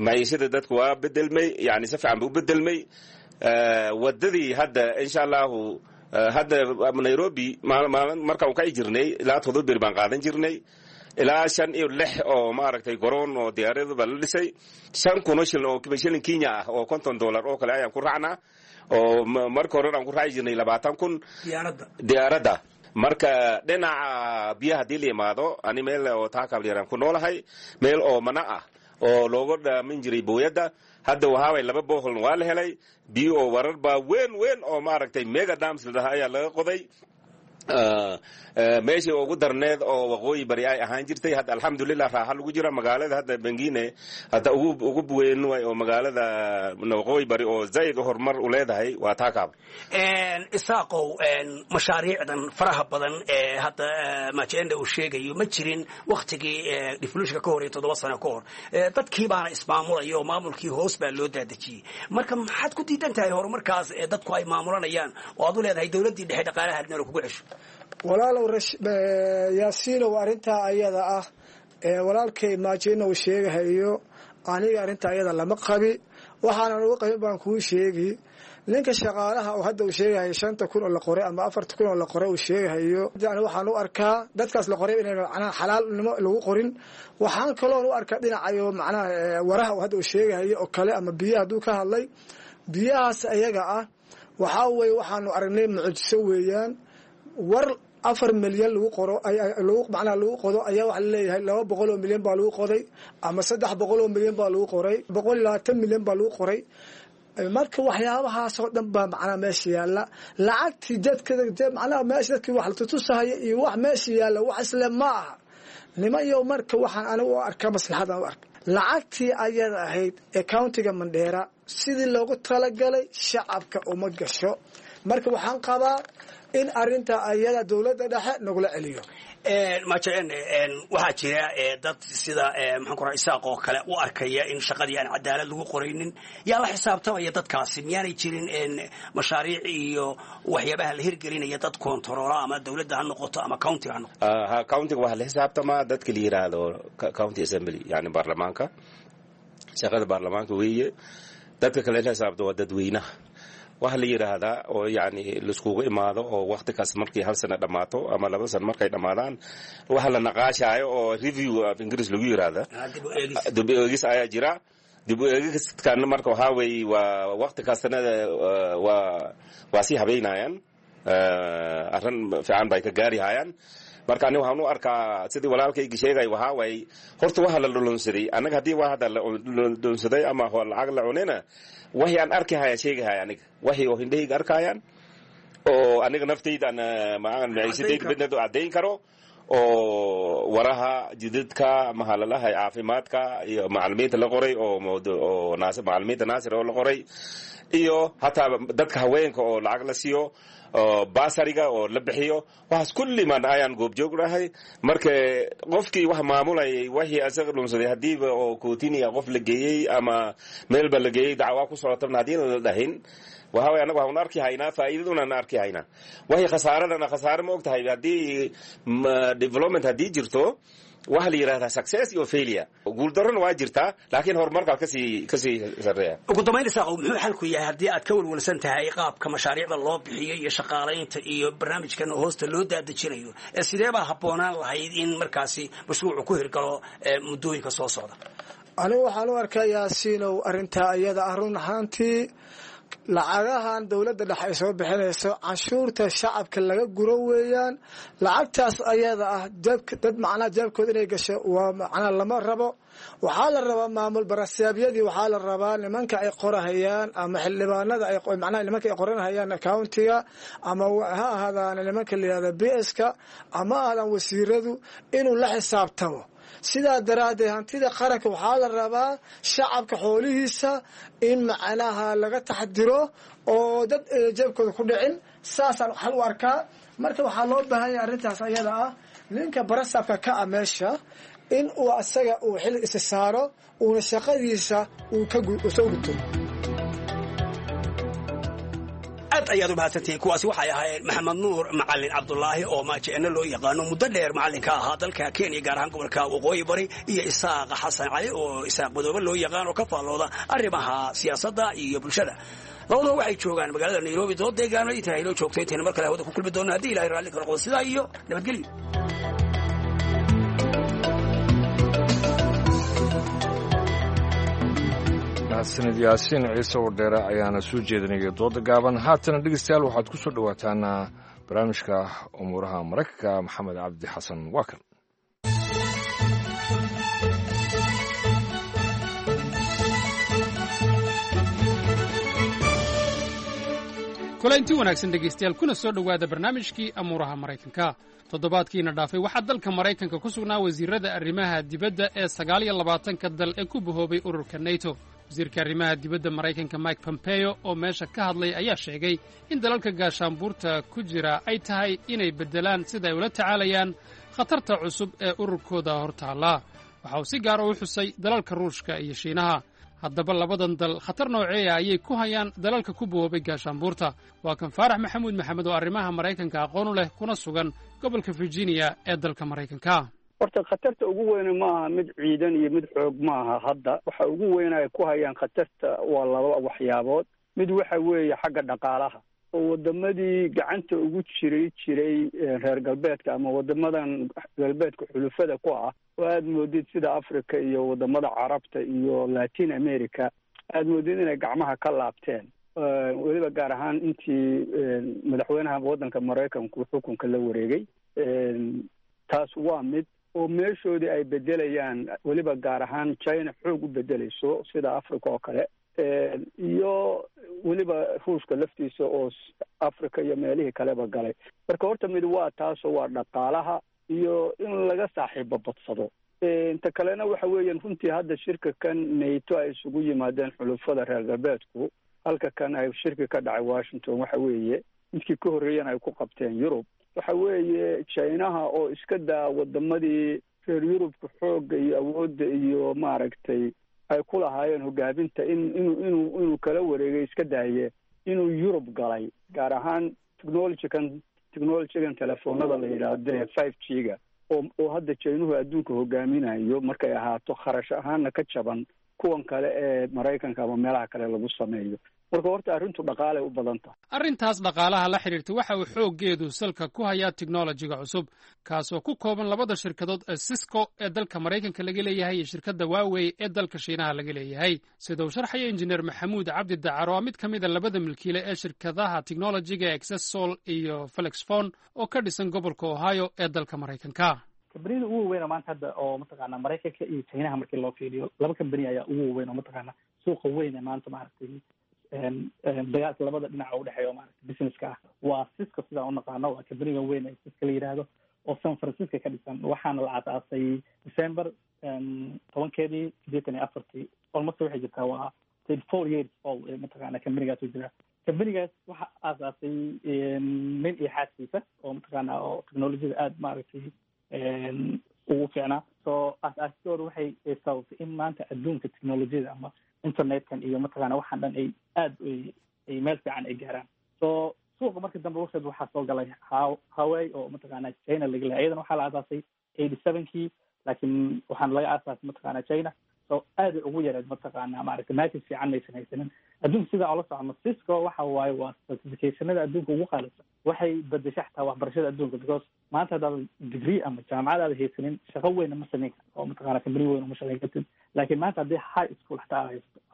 Maciishada dadku waa bedelmay, yani si fiican ba u bedelmay. Wadadii hadda, insha Allahu, hadda Nairobi markaan kaci jirnay ilaa 7 beri baan qaadan jirnay, ilaa shan iyo lix oo maaragtay garoon oo diyaaradu baa la dhisay. 5,000 oo shilin oo shilin Kenya ah oo $50 oo kale ayaan ku raacnaa, oo marka hore aan ku raaci jirnay 20,000 diyaaradda. Marka dhinaca biyaha haddii la yimaado, ani meel oo taakaab yaraan ku noolahay, meel oo mana ah oo looga dhaamin jiray booyadda, hadda waxaaway laba boholna waa la helay. Biyo oo warar baa weyn weyn oo maaragtay mega dams la dhaha ayaa laga qoday. Meeshii ugu darneed oo Waqooyi Bari ay ahaan jirtay, hadda alxamdulilah raaxa lagu jira. Magaalada hadda bengine hadda ugu weyn way oo magaalada Waqooyi Bari oo zaid horumar u leedahay waa Taakaab. Isaaqow, mashaariicdan faraha badan ee hadda Majenda uu sheegayo ma jirin waktigii devolutionka ka hor iyo 7 sano ka hor. Dadkii baana ismaamulaya oo maamulkii hoos baa loo daadejiyey. Marka maxaad ku diidan tahay horumarkaas ee dadku ay maamulanayaan oo aad u leedahay dowladdii dhexe dhaqaalaha hadnala kugu cesho? Walaalow Yaasiinow, arrintaa ayada ah ee walaalkay Maajina uu sheegahayo, aniga arrintaa ayada lama qabi. Waxaanan uga qabin baan kuu sheegi. Ninka shaqaalaha oo hadda uu sheegahayo 5,000 oo la qoray ama 4,000 oo la qoray uu sheegahayo, yani waxaan u arkaa dadkaas la qoray inay macnaha xalaalnimo lagu qorin. Waxaan kaloon u arkaa dhinacayo macnaha waraha oo hadda uu sheegahayo oo kale ama biyaha hadduu ka hadlay, biyahaas ayaga ah waxaa weeye waxaanu aragnay mucjiso weeyaan. War 4 milyan lagu qoro, macnaha lagu qodo, ayaa waxaa laleeyahay 200 oo milyan baa lagu qoday ama 300 oo milyan baa lagu qoray, 120 milyan baa lagu qoray. Marka waxyaabahaasoo dhan baa macnaha meesha yaalla. Lacagtii dadka macnaha meesha dadkii wax la tutusahaya iyo wax meesha yaalla wax isle ma aha nimanyo. Marka waxaan anigu u arkaa maslaxadan u arka, lacagtii ayada ahayd ee countiga Mandheera sidii loogu talagalay shacabka uma gasho. Marka waxaan qabaa in arinta ayada dowladda dhexe nagula celiyo. Majen, waxaa jira dad sida maxaan ku raha Isaaq oo kale u arkaya in shaqadii aan cadaalad lagu qoraynin. Yaa la xisaabtamaya dadkaasi? Miyaanay jirin mashaariic iyo waxyaabaha la hirgelinaya dad koontaroola, ama dowladda ha noqoto ama countiga ha noqoto? Ha, countiga waxaa la xisaabtamaa dadka la yiraahdo county assembly, yani baarlamaanka. Shaqada baarlamaanka weeye. Dadka kale la xisaabto waa dadweynaha. Waxa la yidhaahdaa oo yani laiskugu imaado oo wakti kaas markii hal sano dhammaato ama 2 sano markay dhammaadaan, waxa la naqaashaayo oo review af Ingiriis lagu yidhaahda, dib u eegis ayaa jira. Dib u eegiskan marka waxaa weeye waa wakti kastana waa sii habeynayaan, arrin fiican bay ka gaarihayaan. Marka ani waxaan u arkaa sidii walaalkaygi sheegay, waxaa waaye horta waxa la dhulunsaday annaga haddii waa hadda la dhulunsaday ama lacag la cunina, waxii aan arkihaya sheegahaya aniga, waxii oo hindhahayga arkayaan oo aniga naftayda aan maciishadayda midna caddayn karo oo waraha, jidadka, mahalalaha caafimaadka iyo macalimiinta la qoray oo macalimiinta naasir oo la qoray, iyo hataa dadka haweenka oo lacag la siiyo, baasariga oo la bixiyo, waxaas kulli maan ayaan goobjoog nahay. Marka qofkii wax maamulayay wixii asaga dhunsaday, haddiiba oo kootiniya qof la geeyey ama meelba la geeyey dacwaa ku socotana, haddii la dhahin Waxa way annagu waxaan arki haynaa faa'iidaduna arki haynaa, waxay khasaaradana khasaare ma og tahay. Haddii development haddii jirto, waxaa la yidhahdaa success iyo failure, guuldarrona waa jirtaa, laakiin horumarkaa kasii sarreeya. Ugu dambayn, Isaaqow, muxuu xalku yahay haddii aad ka welwelsan tahay qaabka mashaariicda loo bixiyo iyo shaqaalaynta iyo barnaamijkan hoosta loo daadejinayo? Sidee baa habboonaan lahayd in markaasi mashruucu ku hirgalo muddooyinka soo socda? Anigu waxaan u arkaa, Yaasiinow, arrintaa iyada ah run ahaantii lacagahan dowladda dhexe ay soo bixinayso canshuurta shacabka laga guro weeyaan. Lacagtaas ayada ah dad macnaha jeebkooda inay gasho waa macnaha lama rabo. Waxaa la rabaa maamul barasaabyadii, waxaa la rabaa nimanka ay qorahayaan ama xildhibaanada ay macnaha nimanka ay qoranahayaan countiga, ama ha ahaadaan nimanka la yihahda PS-ka, ama ahaadaan wasiiradu, inuu la xisaabtamo. Sidaa daraaddeed hantida qaranka waxaa la rabaa shacabka xoolihiisa in macnaha laga taxdiro oo dad jeebkooda ku dhicin. Saasaan xal u arkaa. Marka waxaa loo baahan yahay arrintaas ayada ah ninka barasabka ka ah meesha in uu asaga uu xil isa saaro, uuna shaqadiisa uu kasoo guto. Aad ayaad u mahadsantihiin. Kuwaasi waxay ahaayeen Maxamed Nuur Macalin Cabdulaahi oo Maajeeno loo yaqaano, muddo dheer macallinka ahaa dalka Kenya, gaar ahaan gobolka Waqooyi Bari, iyo Isaaq Xasan Cali oo Isaaq Madoobe loo yaqaan oo ka faallooda arrimaha siyaasadda iyo bulshada. Labaduba waxay joogaan magaalada Nairobi. Dood deegaano intaa inoo joogto, intayna mar kale hawada ku kulmi doonno, haddii Ilahay raalli ka noqdo, sidaa iyo nabadgelyo. Mahadsanid Yaasiin Ciise Wardheere ayaana soo jeedinaya dooda gaaban. Haatana dhegeystayaal, waxaad ku soo dhowaataan barnaamijka umuuraha Maraykanka. Maxamed Cabdi Xasan waa kan. Kulaynti wanaagsan dhegaystayaal, kuna soo dhowaada barnaamijkii amuuraha Maraykanka. Toddobaadkiina dhaafay waxaa dalka Maraykanka ku sugnaa wasiirrada arrimaha dibadda ee 29-ka dal ee ku bahoobay ururka NATO. Wasiirka arrimaha dibadda Maraykanka Mike Pompeo oo meesha ka hadlay ayaa sheegay in dalalka gaashaanbuurta ku jira ay tahay inay beddelaan sida ay ula tacaalayaan khatarta cusub ee ururkooda hortaalla. Waxa uu si gaara u xusay dalalka Ruushka iyo Shiinaha. Haddaba labadan dal khatar nooceeya ayay ku hayaan dalalka ku boobay gaashaanbuurta? Waa kan Faarax Maxamuud Maxamed oo arrimaha Maraykanka aqoon u leh, kuna sugan gobolka Virginia ee dalka Maraykanka. Horta khatarta ugu weyne maaha mid ciidan iyo mid xoog maaha. Hadda waxa ugu weyn ay ku hayaan khatarta waa laba waxyaabood. Mid waxa weeye xagga dhaqaalaha, oo wadamadii gacanta ugu jiray reer galbeedka ama wadamadan galbeedka xulufada ku ah, oo aada moodid sida Africa iyo wadamada Carabta iyo Latin America, aada moodid inay gacmaha ka laabteen, weliba gaar ahaan intii madaxweynaha waddanka Maraykanku xukunka la wareegay. Taas waa mid, oo meeshoodii ay bedelayaan, weliba gaar ahaan China xoog u bedelayso sida Africa oo kale, iyo weliba Ruushka laftiisa oo Africa iyo meelihii kaleba galay. Marka horta mid waa taasoo waa dhaqaalaha iyo in laga saaxiibo badsado. Inta kalena waxa weeyaan runtii hadda shirka kan NATO ay isugu yimaadeen xulufada reer galbeedku, halka kan ay shirki ka dhacay Washington, waxa weeye midkii ka horreeyana ay ku qabteen Yurub, waxa weeye Chinaha oo iska daa wadamadii reer Yurubka xoogga iyo awoodda iyo maaragtay ay ku lahaayeen hogaaminta in inuu kala wareegay, iska daaye inuu Yurub galay, gaar ahaan technologygan telefoonada la yidhaahdo 5G-ga oo hadda Jaynuhu adduunka hogaaminayo, markay ahaato kharash ahaanna ka jaban kuwan kale ee Maraykanka ama meelaha kale lagu sameeyo. Marka horta arrintu dhaqaalay u badan tahay. Arrintaas dhaqaalaha la xidhiirta waxa uu xooggeedu salka ku hayaa teknolojiga cusub, kaasoo ku kooban labada shirkadood ee Cisco ee dalka Maraykanka laga leeyahay iyo shirkadda Huawei ee dalka Shiinaha laga leeyahay, sida uu sharxaya Injineer Maxamuud Cabdi Dacar oo mid ka mid a labada milkiile ee shirkadaha teknolojiga Exesol iyo Flexfon oo ka dhisan gobolka Ohio ee dalka Maraykanka. Kambaniyada ugu waaweyn oo maanta hadda oo mataqaana Maraykanka iyo Chinaha markii loo fiiriyo, laba kambani ayaa ugu waaweyn oo mataqaana suuqa weyn ee maanta maaragtay dagaalka labada dhinac oo udhexeeya oo maaragtay businesska ah waa Cisco. Sidaan unaqaano waa kambaniga weyn ee Cisco la yidhaahdo oo San Francisco ka dhisan, waxaana la aasaasay December 10-keedii 84-tii. Almost waxay jirtaa waa 34 years old mataqaana kambanigaas uu jiraa. Kambanigaas waxa aasaasay nin iyo xaaskiisa oo mataqaana oo technologiyada aada maaragtay ugu fiicnaa. So aas-aasidooda waxay sababtay in maanta adduunka technologiyada ama internetkan iyo mataqaana waxaan dhan ay aada ay meel fiican ay gaaraan. So suuqa marka dambe waqtigeed waxaa soo galay Huawei oo mataqaana China laga lehay. Iyadana waxaa la aasaasay 87-kii, laakiin waxaana laga aasaasay mataqaana China. So aad ay ugu yareed mataqaana maaragtay market fiican maysan haysanin adduunka. Sidaa oola socono, Cisco waxa waaye waa certificationada adduunka ugu qaalisan. Waxay bedesha xataa waxbarashada adduunka, because maanta haddaad degree ama jaamacadaada haysanin, shaqo weyna ma samayn karto oo mataqana company weyn uma shaqayn kartid. Laakiin maanta haddii high school xataa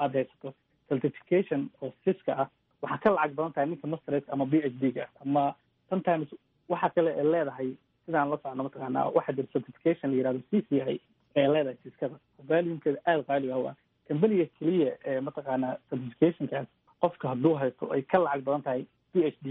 aad haysato certification oo Cisco ah, waxaa ka lacag badan tahay ninka masterate ama PhD ga. Ama sometimes waxa kale ee leedahay, sidaan la socno mataqaana, waxaa jira certification la yihahdo CCIE ee leedahay Ciscada, volumekeeda aada qaali ah. Waa companyga keliya ee mataqaana certificationkaas qofka hadduu haysto ay ka lacag badan tahay PhD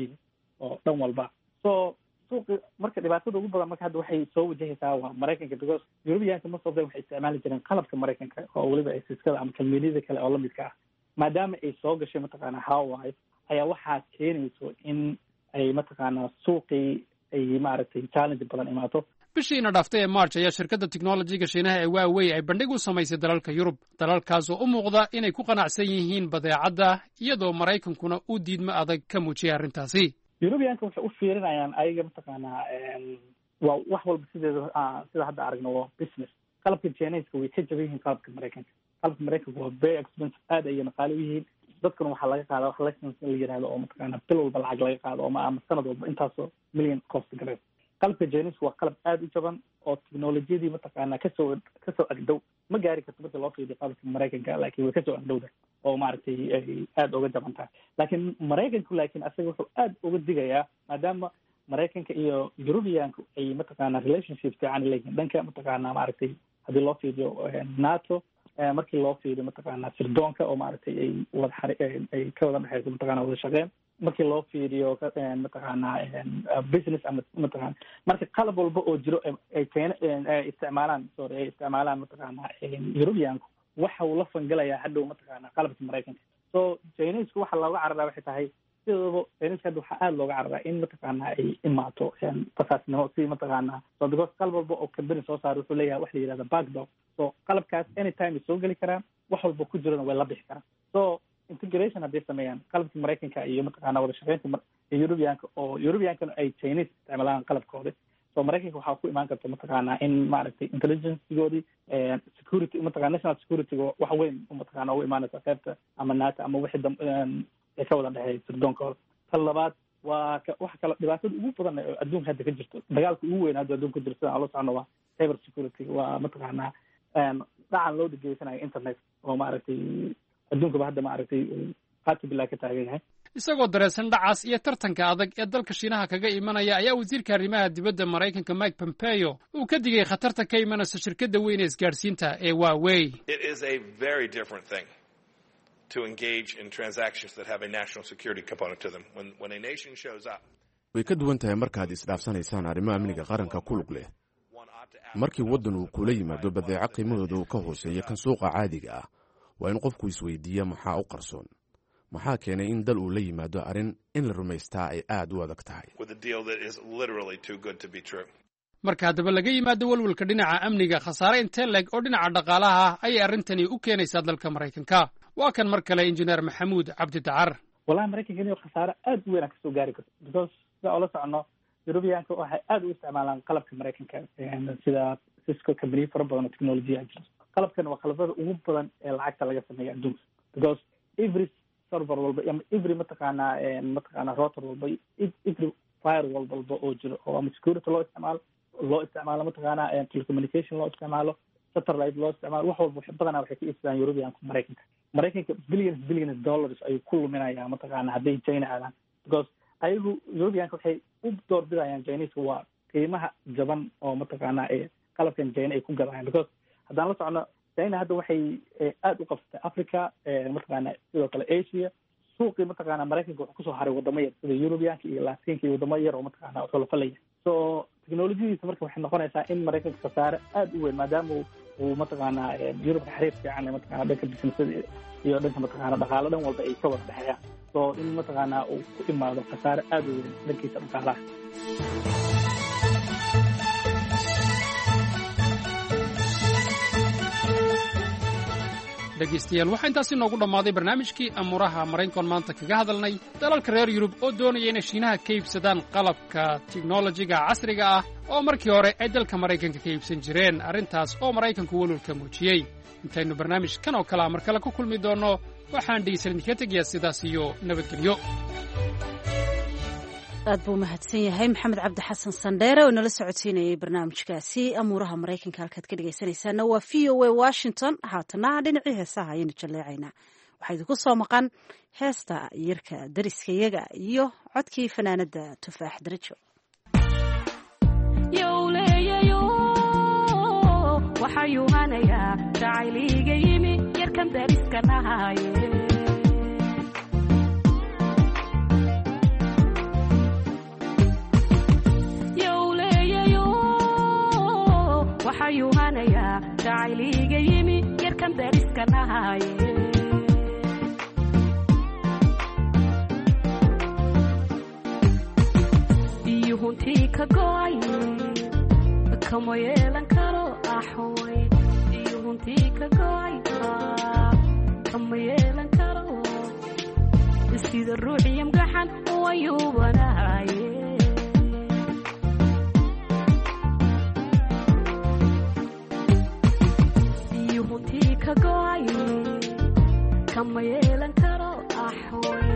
oo dhan walba. So suuqi marka dhibaatada ugu badan marka hadda waxay soo wajahaysaa waa Maraykanka, because Europeanka most of them waxay isticmaali jireen qalabka Maraykanka oo weliba ay Ciscada ama kambaniyada kale oo lamidka ah. Maadaama ay soo gashay mataqaana Huawei, ayaa waxaa keenayso in ay mataqaana suuqii ay maaragtay challenge badan imaato. Bishiina dhaaftay ee March ayaa shirkadda tiknolojiga Shiinaha ee Huawei ay bandhig u samaysay dalalka Yurub, dalalkaas oo u muuqda inay ku qanacsan yihiin badeecadda, iyadoo Maraykankuna uu diidmo adag ka muujiyay arrintaasi. Europeanka waxay u fiirinayaan ayaga mataqaanaa waa wax walba sideeda sida hadda aragno waa business. Qalabka Chineska way ka jaban yihiin qalabka Maraykanka. Qalabka Maraykanka waa very expensive, aad ayayna qaali u yihiin. Dadkuna waxaa laga qaada wax license in la yihahdo oo mataqaana bil walba lacag laga qaado ama sanad walba intaasoo million cost gareys. Qalabka Chinese waa qalab aada u jaban oo technolojiyadii mataqaana kasoo agdhow. Ma gaari karto marka loo fiiriyo qalabka Maraykanka, laakiin way kasoo agdhowda oo maaragtay ay aada uga jaban tahay. Laakiin Maraykanku, laakiin asaga wuxuu aada uga digayaa, maadaama Maraykanka iyo Europeanku ay mataqaana relationship fiican leeyihiin dhanka mataqaana maaragtay haddii loo fiiriyo NATO, markii loo fiiriyo mataqaana sirdoonka oo maaragtay ay wada ay ka wada dhexeyso mataqana wada shaqeyn, markii loo fiiriyo mataqaana business ama mataqana marka qalab walba oo jiro ay China ay isticmaalaan, sorry, ay isticmaalaan mataqaana Europeanku, waxa uu la fangalayaa hadhow mataqaana qalabka Maraykanka. So Chinesku waxa looga cararaa waxay tahay, sidooba Chineska hadda waxaa aada looga cararaa in mataqaana ay imaato basaasnimo si mataqaana. So because qalab walba oo company soo saaro wuxuu leeyahay wax la yihahda backdoor. So qalabkaas anytime ay soo geli karaan, wax walba ku jirana way la bixi karaan. So integration hadday sameeyaan qalabka Maraykanka iyo mataqaana wada shaqeynta Europeanka, oo Europeankana ay Chinese isticmaalaan qalabkooda, so Maraykanka waxaa ku imaan karta mataqaana in maaragtay intelligencegoodii security mataqana national securityga wax weyn mataqana ugu imaanaysa qaybta ama NATO ama wixii dam ay ka wada dhexeeya sirdoonkooda. Tan labaad waa waxa kale dhibaatada ugu badan oo adduunka hadda ka jirto, dagaalka ugu weyn hadda adduunka ka jirto sidaan la socono waa cyber security, waa mataqaanaa dhacan loo dhegeysanayo internet oo maaragtay adduunkaba hadda maaragtay qaati bilaa ka taagan yahay. Isagoo dareensan dhacaas iyo tartanka adag ee dalka Shiinaha kaga imanaya, ayaa wasiirka arrimaha dibadda Maraykanka Mike Pompeo uu ka digay khatarta ka imanaysa shirkadda weyn ee isgaadhsiinta ee Huawei. It is a very different thing to engage in transactions that have a national security component to them. When a nation shows up, Way ka duwan tahay markaad isdhaafsanaysaan arrimo amniga qaranka ku lug leh. Markii waddan uu kula yimaado badeeco qiimahooda uu ka hooseeya kan suuqa caadiga ah, waa in qofku isweydiiya maxaa u qarsoon, maxaa keenay in dal uu la yimaado arrin in la rumaystaa ay aad u adag tahay. with a deal that is literally too good to be true. Marka haddaba laga yimaado welwelka dhinaca amniga, khasaare intee leeg oo dhinaca dhaqaalaha ah ayay arrintani u keenaysaa dalka Maraykanka? Waa kan mar kale injineer Maxamuud Cabdi Dacar. Wallahi Maraykanka inuu khasaare aada u weyn aan kasoo gaari karto, because sida oola socono Europeanka waxay aada u isticmaalaan qalabka Maraykanka, sida Cisco, companiyo fara badan oo technolojiya jirto. Qalabkan waa qalabada ugu badan ee lacagta laga sameeya adduunka, because every server walba ama every mataqaanaa router walba, every firewall walba oo jiro oo ama security loo isticmaalo mataqaanaa telecommunication loo isticmaalo, satellite loo isticmaalo, wax walba badanaa waxay ka iibsadaan Europeanka Maraykanka. Maraykanka billions billions dollars ayuu ku luminayaa mataqaana hadday China aadaan, because ayagu Europeanka waxay u doorbidayaan Chineska waa qiimaha jaban oo mataqaana ee qalabkan China ay ku gadayaan, because haddaan la socono China hadda waxay aada u qabsatay Africa, mataqaana sidoo kale Asia. Suuqii mataqaana Maraykanka wuxuu kusoo haray wadamo yar sida Europeanka iyo Latinka iyo wadamo yar oo mataqaana xulafo la yahay. So technolojiyadiisa marka waxay noqonaysaa in Maraykanka khasaare aada u weyn, maadaama uu mataqaanaa Yurubka xiriir fiican mataqana dhanka businessada iyo dhanka mataqaana dhaqaalo dhan walba ay ka wada dhexeeyaan, so in mataqaanaa uu ku imaado khasaare aada u weyn dhankiisa dhaqaalaha. Dhegaystayaal, waxaa intaasi noogu dhammaaday barnaamijkii amuuraha Maraykankoon maanta kaga hadalnay dalalka reer Yurub oo doonaya inay Shiinaha ka iibsadaan qalabka tiknolojiga casriga ah oo markii hore ay dalka Maraykanka ka iibsan jireen, arrintaas oo Maraykanku welwalka muujiyey. Intaynu barnaamijkan oo kalea mar kale ku kulmi doonno, waxaan dhegaystayaal idinkaga tegayaa sidaas iyo nabadgelyo. Aad buu mahadsan yahay Maxamed Cabdi Xasan Sandheere oo inala socodsiinayay barnaamijkaasi amuuraha Maraykanka. Halkaad ka dhegaysanaysaana waa VOA Washington. Haatana dhinacii heesaha ayaynu jalleecaynaa. Waxaa idinku soo maqan heesta Yarka Dariskayaga iyo codkii fanaanada Tufaax Darajo. Jacayliga yimi yarkan dariska nahaye, iyo huntii ka go'ay kama yeelan karo axoy, iyo huntii ka go'ay kama yeelan karo, sida ruuxiyamgaxan wayuubanahaye. Kama yeelan karo axoy,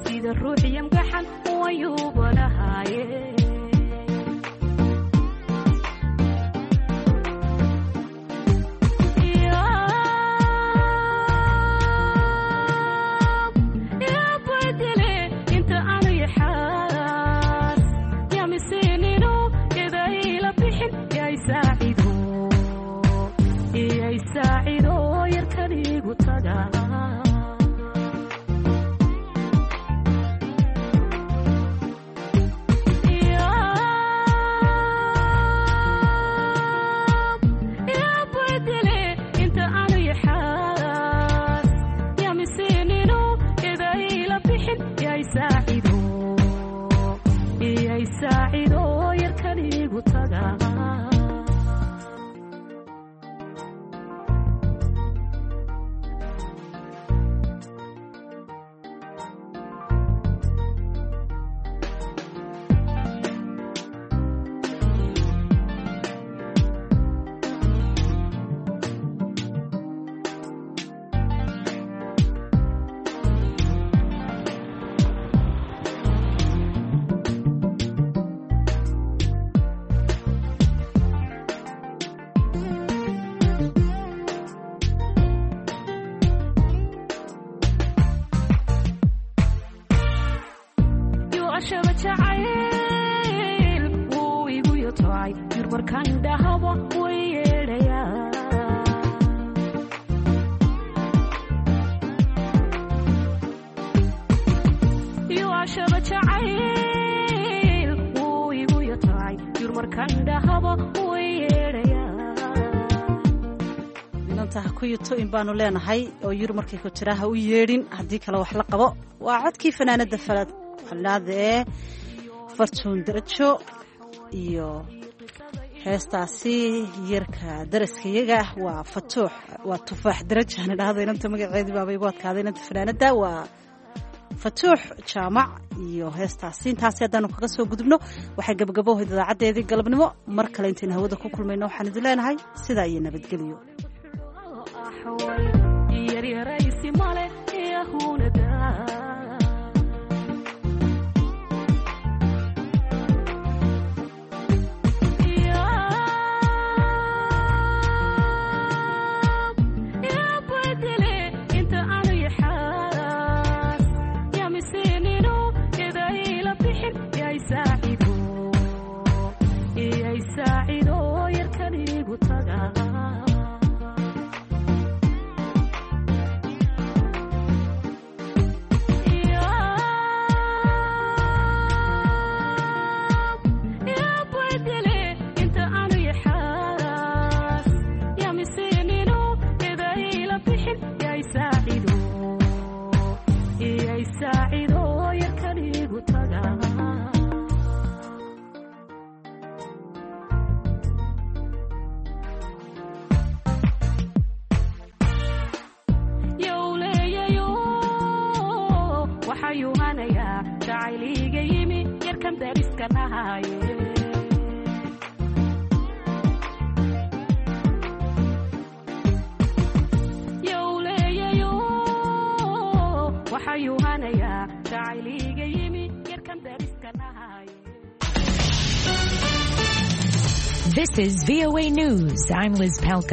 sida ruuxiyamgaxan wayuubanahaye. Badele inta aanu yaxaas yamisinino idayla bixin yaysaacido iyay saacido yarkanigu taga. Badele inta aanu yaxaas yamisinino idayla bixin yaysaacido iyay saacido yarkanigu taga. Yuashaba jacayl wuu igu yotocay, yurmarkan dhahaba way yeedhayaa. Yuashaba jacayl wuu igu yotocay, yurmarkan dhahaba way yeedhayaa. Inanta ha ku yuto in baanu leenahay oo yur markay ku tiraa ha u yeedhin, haddii kale wax la qabo. Waa codkii fanaanada falad fanaada ee Fartuun Darajo iyo heestaasi Yarka Daraskayaga. Waa Fatuux, waa Tufaax Darajo aan idhaahdo, inanta magaceedii baaba igu adkaaday. Inanta fanaanada waa Fatuux Jaamac iyo heestaasi. Intaasi haddaanu kaga soo gudubno, waxay gabagabohayd idaacaddeedii galabnimo. Mar kale intaynu hawada ku kulmayno, waxaan idin leenahay sidaa iyo nabadgelyo. Yaryaraysi male yahunada. Badele inta aanu yaxaas yamisinino idayla bixin yaysaacido iyay saacido yarkanigu taga. dariska nahaye. Yowleeyayo waxayuu hanayaa jacayliga yimi yarkan dariska nahaye. This is VOA News. I'm Liz Pelka.